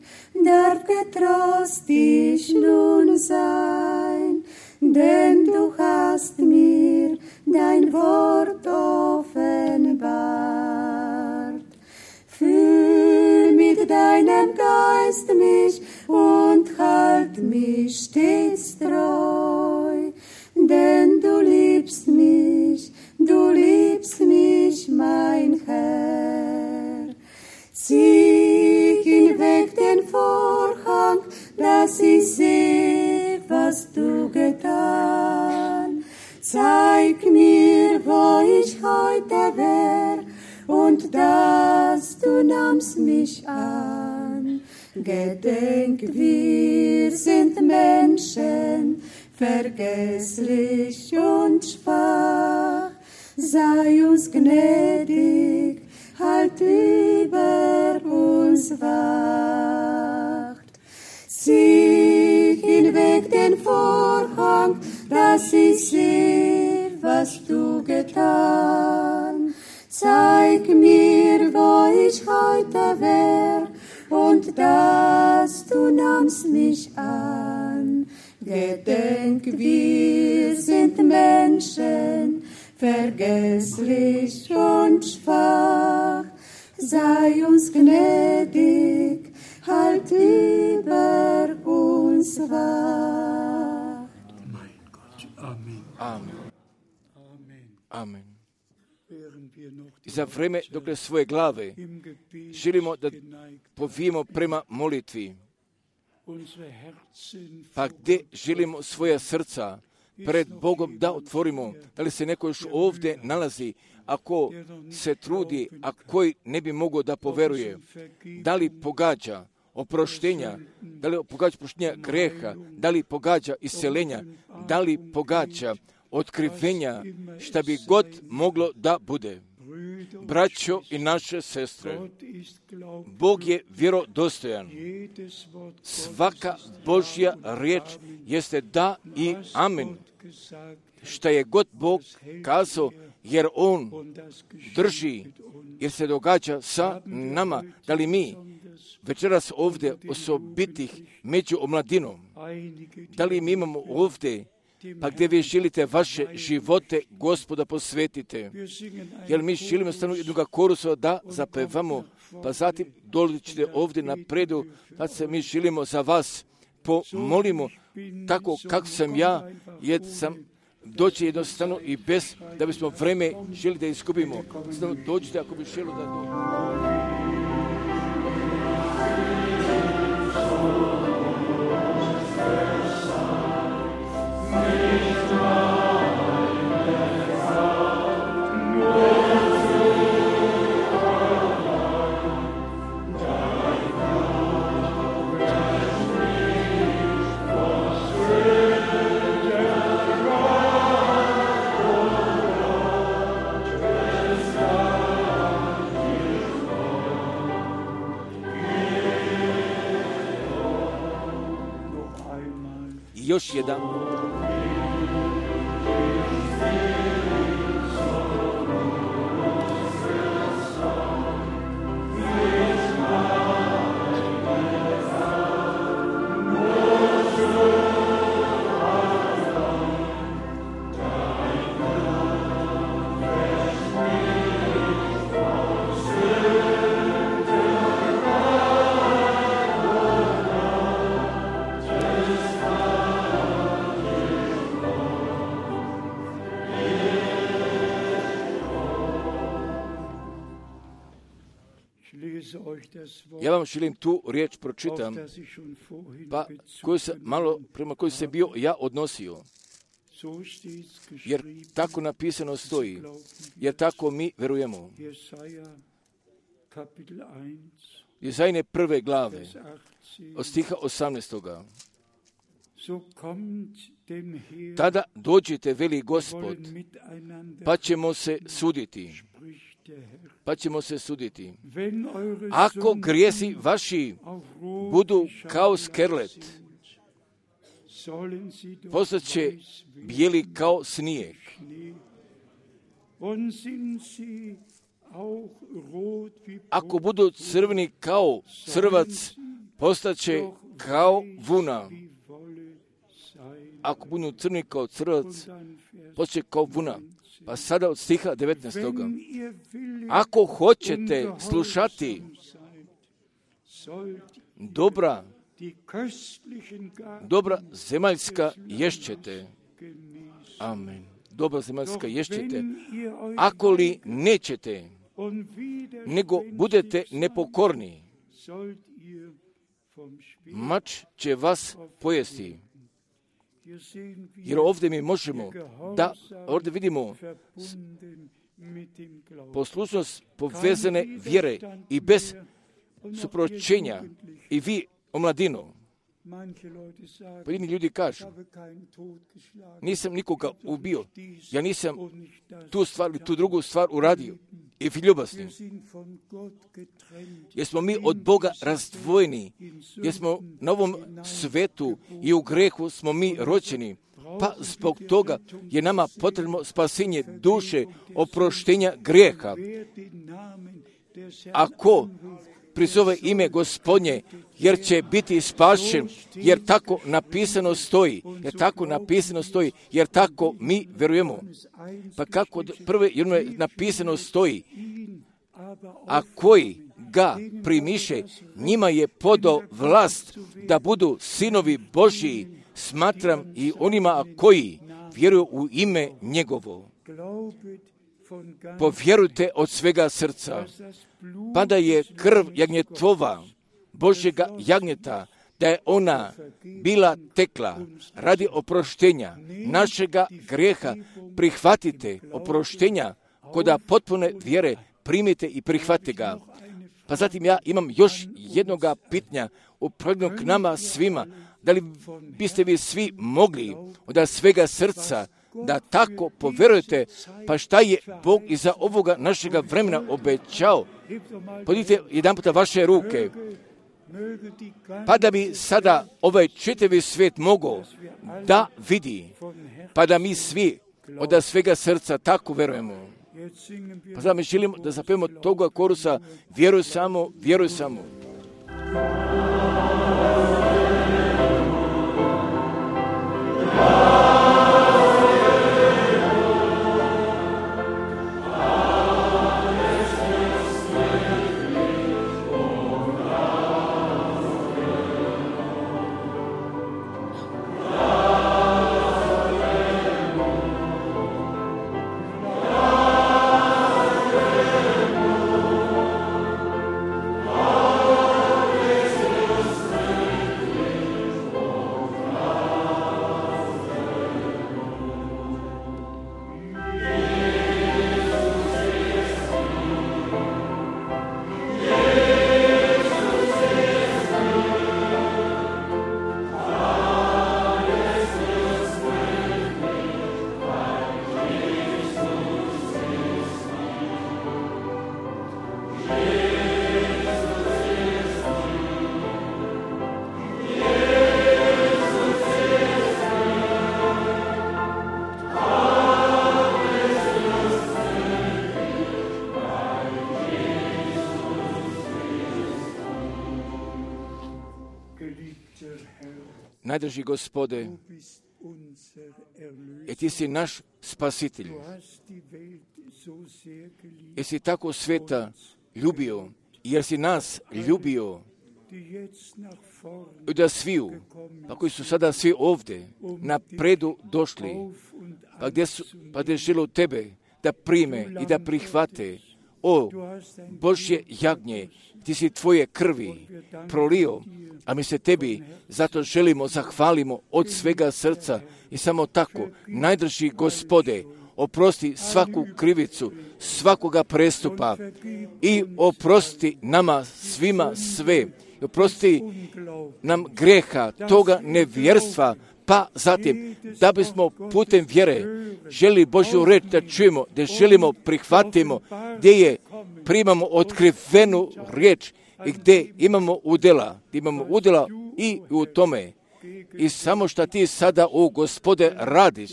darf getrost ich nun sein, denn du hast mir dein Wort offenbart. Füll mit deinem Geist mich und halt mich stets treu, denn du liebst mich, mein Herr. Zieh hinweg den Vorhang, dass ich seh, was du getan. Zeig mir, wo ich heute wär, und dass du nahmst mich an. Gedenk, wir sind Menschen, vergesslich und schwach. Sei uns gnädig, halt über uns wacht. Zieh hinweg den Vorhang, dass ich seh, was du getan. Zeig mir, wo ich heute wär, und dass du nahmst mich an. Gedenk, wir sind Menschen, vergesslich und schwach. Sei uns gnädig, halt über uns wacht. Mein Gott. Amen. Amen. Amen. Amen. Während wir noch I za vreme dok svoje glave im Gebet želimo da geneigt, povijemo prema molitvi, unsere Herzen pa gdje želimo svoja srca pred Bogom da otvorimo, da li se neko još ovdje nalazi, ako se trudi, a koji ne bi mogao da poveruje, da li pogađa oproštenja, da li pogađa oproštenja greha, da li pogađa isceljenja, da li pogađa otkrivenja, šta bi god moglo da bude. Braćo i naše sestre, Bog je vjerodostojan. Svaka Božja riječ jeste da i amen. Šta je god Bog kazao, jer On drži, jer se događa sa nama. Da li mi večeras ovdje osobitih među omladinom, da li mi imamo ovdje, pa gdje vi želite vaše živote Gospoda posvetite, jer mi želimo stanu jednoga korusa da zapevamo, pa zatim dođite ovdje na predu, da se mi želimo za vas pomolimo, tako kako sam ja, jer sam doći jednostavno i bez da bismo vreme želi da izgubimo. Jednostavno dođite ako bi želi da dođete. još jedan. Ja vam želim tu riječ pročitam, pa prema koju se bio ja odnosio. Jer tako napisano stoji, jer tako mi verujemo. Jezajine 1. glave, od stiha 18. Tada dođite, veli Gospod, pa ćemo se suditi. Ako grijesi vaši budu kao skerlet, postat će bijeli kao snijeg. Ako budu crveni kao crvac, postat će kao vuna. Ako budu crveni kao crvac, postat će kao vuna. Pa sada od stiha 19. Ako hoćete slušati dobra zemaljska ješćete. Amen. Dobra zemaljska ješćete. Ako li nećete, nego budete nepokorni, mač će vas pojesti. Jer ovdje mi možemo ovdje vidimo poslušnost povezane vjere i bez supročenja. I vi, omladino, pojedini ljudi kažu, nisam nikoga ubio, ja nisam tu stvar ili tu drugu stvar uradio. I vi ljubasni, jer smo mi od Boga razdvojeni, jer smo na ovom svetu i u grehu smo mi rođeni, pa zbog toga je nama potrebno spasenje duše, oproštenja grijeha. Ako prizove ime Gospodnje, jer će biti spašen, jer tako napisano stoji, jer tako mi verujemo. Pa kako od prve jedne napisano stoji, a koji ga primiše, njima je podao vlast da budu sinovi Božji, smatram i onima koji vjeruju u ime njegovo. Povjerujte od svega srca, pa da je krv jagnjetova, Božjega jagnjeta, da je ona bila tekla radi oproštenja našega grijeha. Prihvatite oproštenja koda potpune vjere, primite i prihvatite ga. Pa zatim ja imam još jednoga pitanja upravljenog k nama svima. Da li biste vi svi mogli od svega srca da tako povjerujete, pa šta je Bog iza ovoga našega vremena obećao? Podignite jedan puta vaše ruke, pa da bi sada ovaj čitavi svijet mogao da vidi, pa da mi svi od svega srca tako verujemo. Pa sada mi želimo da zapevamo toga korusa, vjeruj samo, vjeruj samo. Amen. Najdraži Gospode, du bist unser Erlöser. jer ti si naš spasitelj. Du hast die Welt so sehr geliebt, Jer si tako sveta ljubio, jer si nas ljubio, die jetzt nach vorn i da sviju, pa koji su sada svi ovdje na predu došli, auf und pa gdje žele u tebe da prime i da prihvate. O Božje jagnje, ti si tvoje krvi prolio, a mi se tebi zato želimo, zahvalimo od svega srca i samo tako, najdraži Gospode, oprosti svaku krivicu, svakoga prestupa i oprosti nama svima sve. Oprosti nam greha, toga nevjerstva, pa zatim, da bismo putem vjere želi Božju reč da čujemo, da želimo prihvatimo, gdje je primamo otkrivenu riječ i gdje imamo udjela. Imamo udjela i u tome. I samo što ti sada, o Gospode, radiš,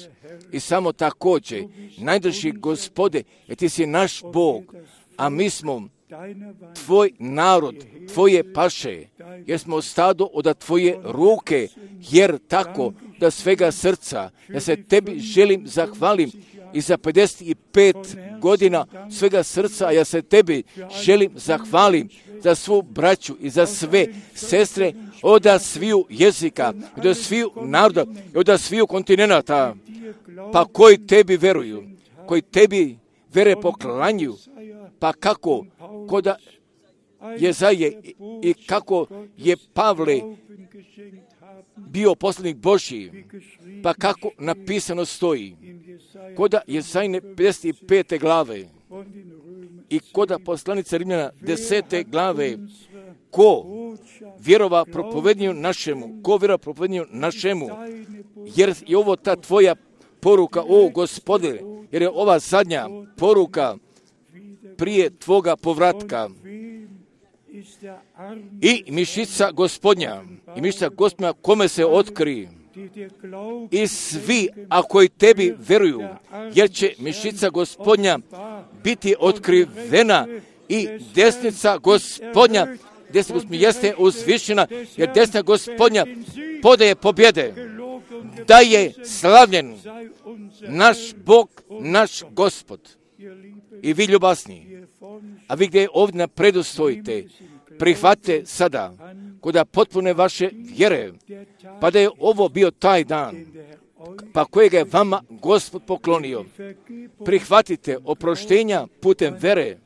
i samo također, najdraži Gospode, jer ti si naš Bog, a mi smo tvoj narod, tvoje paše, jer smo stado od tvoje ruke, jer tako da svega srca, ja se tebi želim zahvalim i za 55 godina svega srca, a ja se tebi želim zahvalim za svu braću i za sve sestre od sviju jezika, od sviju naroda, od sviju kontinenta, pa koji tebi veruju, koji tebi vere poklanjuju, pa kako koda Jezaje i kako je Pavle bio poslanik Božji, pa kako napisano stoji, koda Jezajne 55. glave i koda poslanica Rimljana 10. glave, ko vjerova propovednju našemu, jer je ovo ta tvoja poruka, o Gospode, jer je ova zadnja poruka prije tvoga povratka. I mišica Gospodnja, kome se otkri, i svi, a koji tebi veruju, jer će mišica Gospodnja biti otkrivena i desnica Gospodnja jeste uzvišena, jer desna Gospodnja podaje pobjede, da je slavljen naš Bog, naš Gospod. I vi ljubasni, a vi gdje ovdje na predu stojite, prihvatite sada, koda potpune vaše vjere, pa da je ovo bio taj dan, pa kojega je vama Gospod poklonio. Prihvatite oproštenja putem vere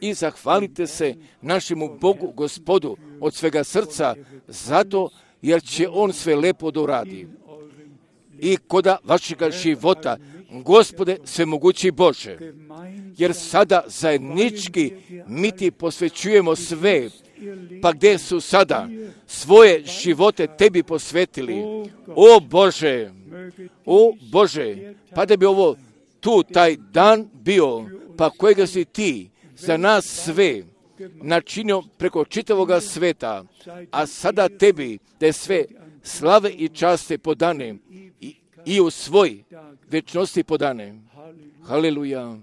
i zahvalite se našemu Bogu, Gospodu, od svega srca, zato jer će On sve lepo doradi. I koda vašega života, Gospode, svemogući Bože, jer sada zajednički mi ti posvećujemo sve, pa gdje su sada svoje živote tebi posvetili. O Bože, pa da bi ovo tu taj dan bio, pa kojega si ti za nas sve načinio preko čitavoga sveta, a sada tebi da je sve slave i časte podane i u svoj večnosti podane. Haleluja.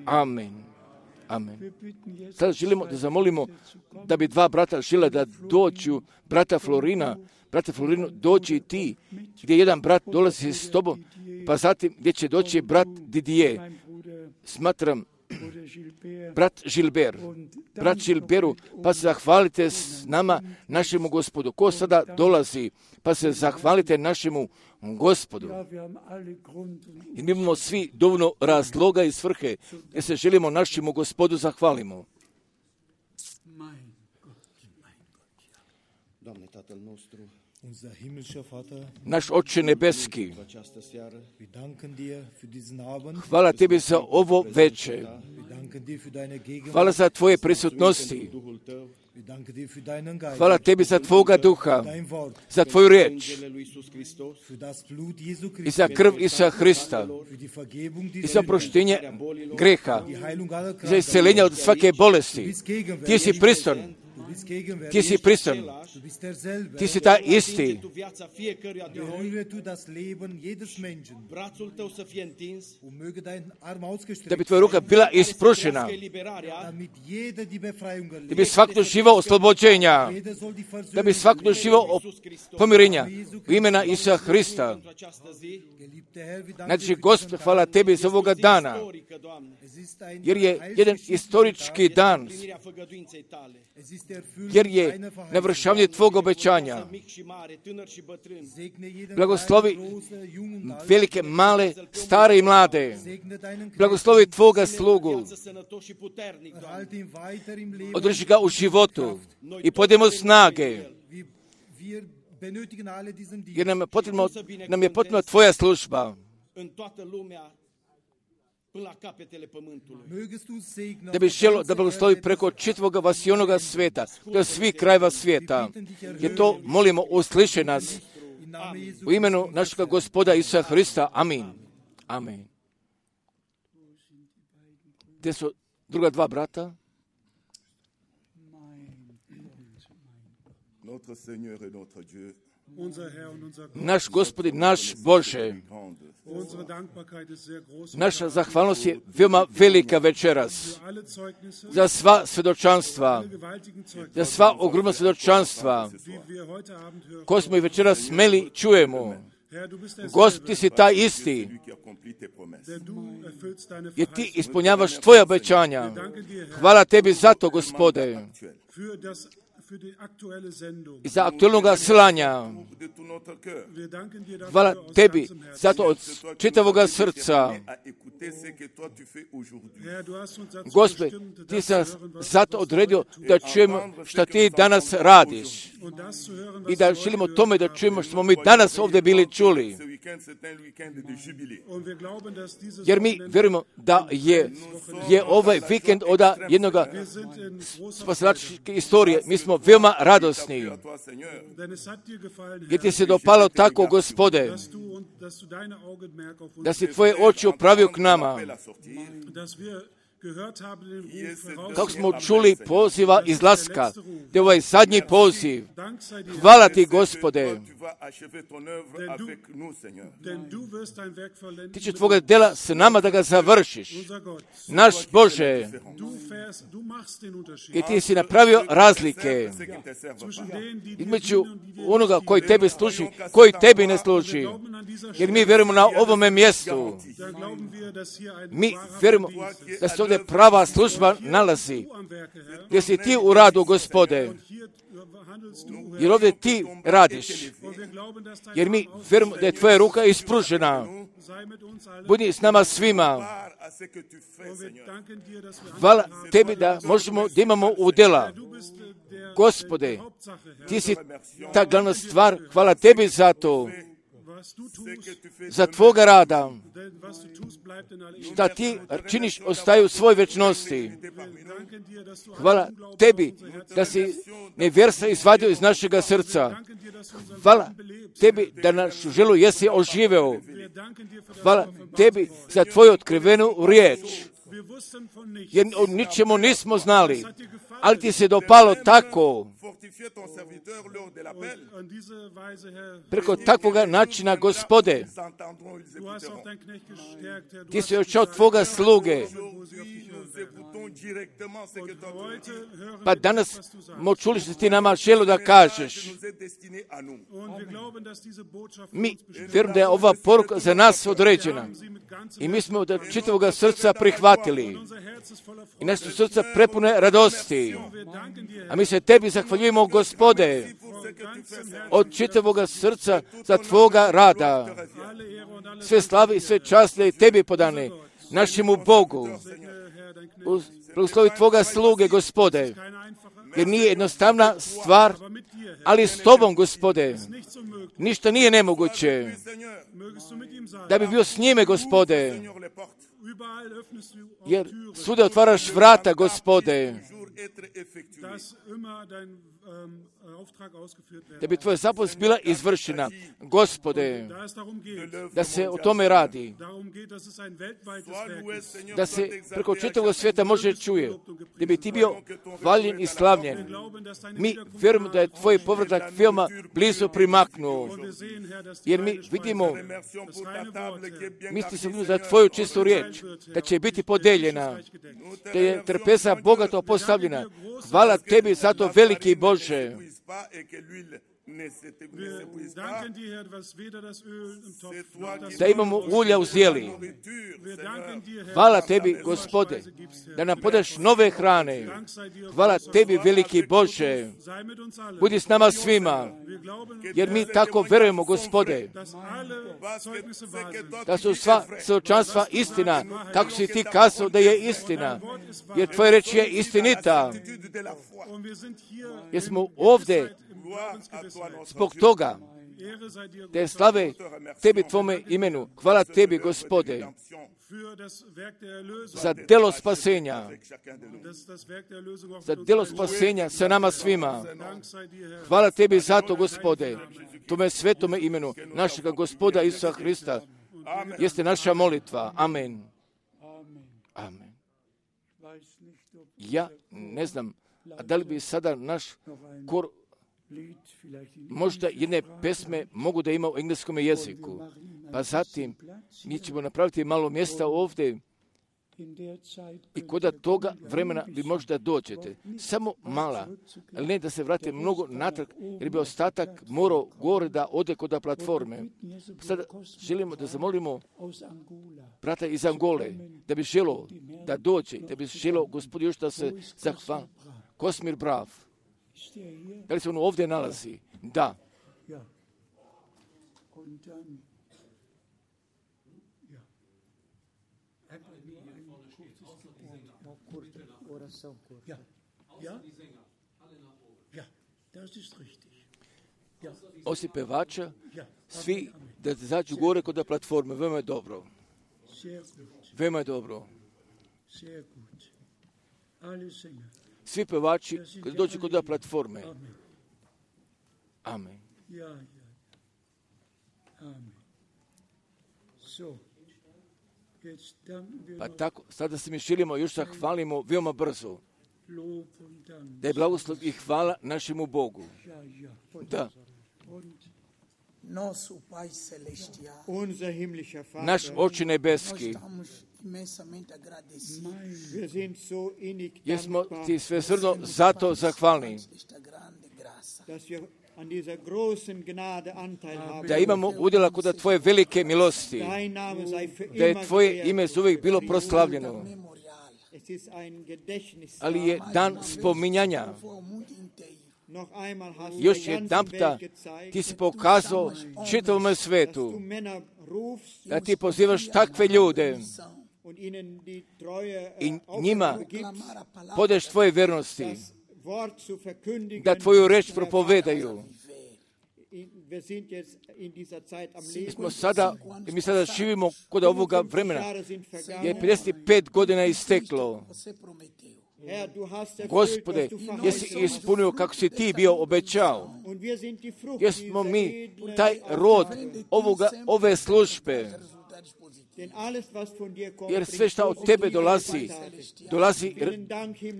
Amen. Amen. Sada želimo da zamolimo da bi dva brata žele da dođu, brata Florinu, dođi i ti, gdje jedan brat dolazi s tobom, pa zatim gdje će doći brat Didier. Smatram, brat Žilberu, pa se zahvalite s nama, našemu Gospodu. Ko sada dolazi, pa se zahvalite našemu Gospodu. I mi imamo svi dovoljno razloga i svrhe, jer se želimo našemu Gospodu zahvalimo. Naš Oče nebeski, hvala tebi za ovo veče. Hvala za tvoje prisutnosti. Hvala tebi za tvoga duha, za tvoju riječ i za krv Isusa Hrista i za oproštenje greha, za isceljenje od svake bolesti. Ti si prisutan Ti si prisutan. Ti si taj isti. Da bi tvoja ruka bila isprušena. Da bi svako živao oslobođenja. Da bi svako živao pomirenja. U imena Isusa Hrista. Znači, Gospod, hvala Tebi za ovoga dana. Jer je jedan historički dan. Jer je navršavanje Tvog obećanja. Blagoslovi velike, male, stare i mlade. Blagoslovi Tvoga slugu. Održi ga u životu i podijemo snage. Jer nam je potrebna Tvoja služba. Da bi želo da blagoslovi preko čitavog vasionoga svijeta, do svih krajeva svijeta. Jer to molimo, usliši nas. U imenu našega Gospoda Isusa Hrista. Amin. Amin. Gdje su druga dva brata? Naš Gospodin, naš Bože, naša zahvalnost je veoma velika večeras za sva svjedočanstva, za sva ogromna svjedočanstva koje smo i večeras smeli čujemo. Gospod, Ti si taj isti, jer Ti ispunjavaš Tvoje obećanja. Hvala Tebi za to, Gospode, i za aktualnog slanja. Hvala Tebi zato od čitavoga srca. Gospod, Ti si nas zato odredio da čujemo što Ti danas radiš. I da želimo tome da čujemo što smo mi danas ovdje bili čuli. Jer mi vjerujemo da je ovaj vikend od jednog spasilačke istorije. Mi smo veoma radosni. Jer Ti se dopalo tako, Gospode, da si Tvoje oči upravio k nama. Kako smo čuli poziva izlaska, da je ovaj zadnji poziv. Hvala Ti, Gospode. Ti će Tvoga djela s nama da ga završiš. Naš Bože, i Ti si napravio razlike između onoga koji Tebi služi, koji Tebi ne služi. Jer mi vjerujemo na ovome mjestu. Mi vjerujemo da se ovdje prava služba nalazi. Gdje si Ti u radu, Gospode. Jer ovdje Ti radiš. Jer mi vjerujemo da je Tvoja ruka ispružena. Budi s nama svima. Hvala Tebi da možemo da imamo udjela. Gospode, Ti si ta glavna stvar. Hvala Tebi za to. Za Tvoga rada. Šta Ti činiš ostaju u svoj večnosti. Hvala Tebi da si nevjerstva izvadio iz našega srca. Hvala Tebi da našu želu jesi oživeo. Hvala Tebi za Tvoju otkrivenu riječ. Jer o ničemu nismo znali, ali Ti se dopalo tako. Preko takvoga načina, Gospode, Ti si očao Tvoga sluge. Pa danas smo čuli što Ti nama želo da kažeš. Mi vjerujem da je ova poruka za nas određena. I mi smo od čitavoga srca prihvatili. I naše srca prepune radosti. A mi se Tebi zahvaljujemo, Gospode, od čitavoga srca za Tvoga rada. Sve slave i sve časti Tebi podane, našemu Bogu. Blagoslovi Tvoga sluge, Gospode, jer nije jednostavna stvar, ali s Tobom, Gospode, ništa nije nemoguće. da bi bio s njime, Gospode, jer svuda otvaraš vrata, Gospode, da bi tvoja zapovijed bila izvršena, Gospode, da se o tome radi, da se preko čitavog svijeta može čuje, da bi ti bio hvaljen i slavljen. Mi vjerujemo da je tvoj povratak veoma blizu primaknuo, jer mi vidimo, misli se za tvoju čistu riječ, da će biti podeljena, da je trpeza bogato postavljena. Hvala tebi za to, veliki Bože. Da imamo ulja u zjeli. Hvala tebi, Gospode, da nam podaš nove hrane. Hvala tebi, veliki Bože. Budi s nama svima, jer mi tako verujemo, Gospode, da su sva svjedočanstva istina, kako si ti kazao da je istina, jer tvoja reč je istinita. Jer smo ovdje zbog toga, te slave tebi, tvome imenu. Hvala tebi, Gospode, za delo spasenja, za delo spasenja sa nama svima. Hvala tebi za to, Gospode, tome svetome imenu našega Gospoda Isusa Hrista. Jeste naša molitva. Amen. Amen. Ja ne znam, a da li bi sada naš kor možda jedne pesme mogu da ima u engleskom jeziku. Pa zatim mi ćemo napraviti malo mjesta ovdje i kod toga vremena vi možda dođete. Samo mala, ali ne da se vrati mnogo natrag, jer bi ostatak morao gore da ode kod platforme. Sada želimo da zamolimo brata iz Angole, da bi želo da dođe, da bi želo Gospod još da se zahvali. Kosmir Brav. Da li se ono ovdje nalazi? Da. Osim pevača, svi da zađu gore kod platforme. Veoma je dobro. Veoma je dobro. Svi pevači kad dođu kod platforme. Amen. Pa tako, sada se mi želimo još zahvalimo veoma brzo. Da je blagoslov i hvala našemu Bogu. Da. Naš Oče nebeski, jer smo ti svesrdno zato zahvalni. Da imamo udjela kod tvoje velike milosti, da je tvoje ime uvijek bilo proslavljeno, ali je dan spominjanja. Još jedanputa ti si pokazao čitavom svetu da ti pozivaš takve ljude i njima podeš tvoje vjernosti, da tvoju reč propovedaju. Mi sada živimo kod ovoga vremena, jer 55 godina je isteklo. Gospode, jesi ispunio kako si ti bio obećao. Jesmo mi taj rod ove službe. Jer sve što od tebe dolazi,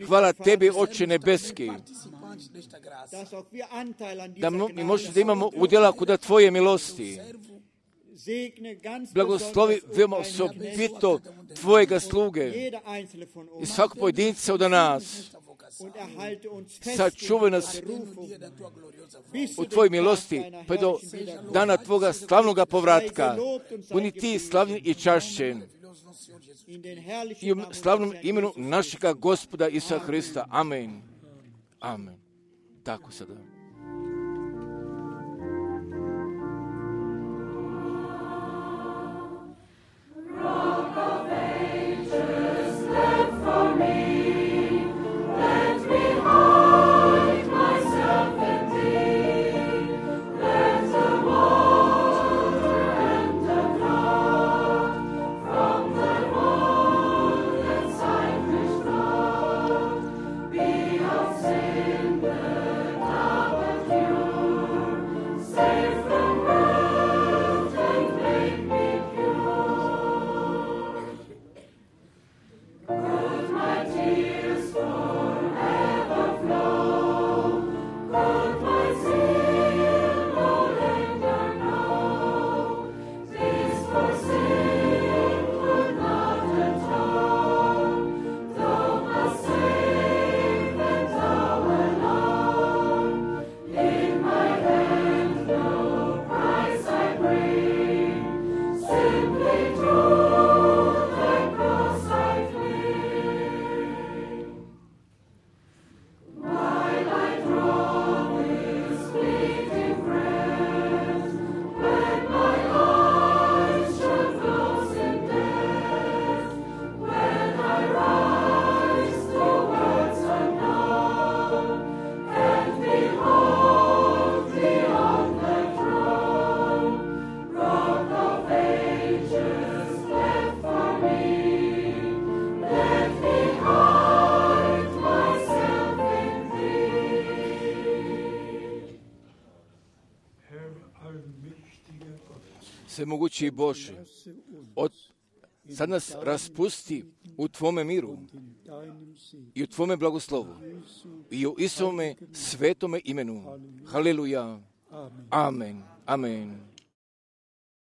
hvala tebi, Oče nebeski, da mi možemo da imamo udjela kod tvoje milosti. Blagoslovi veoma osobito tvojega sluge i svakog pojedinca od nas. Sačuvaj nas u tvojoj milosti pa do dana tvoga slavnoga povratka. Budi ti slavni i čašćen i u slavnom imenu našega Gospoda Isusa Hrista. Amen. Amen. Tako sada. Svemogući Bože, sad nas raspusti u Tvome miru i u Tvome blagoslovu i u Isome svetome imenu. Haleluja. Amen. Amen.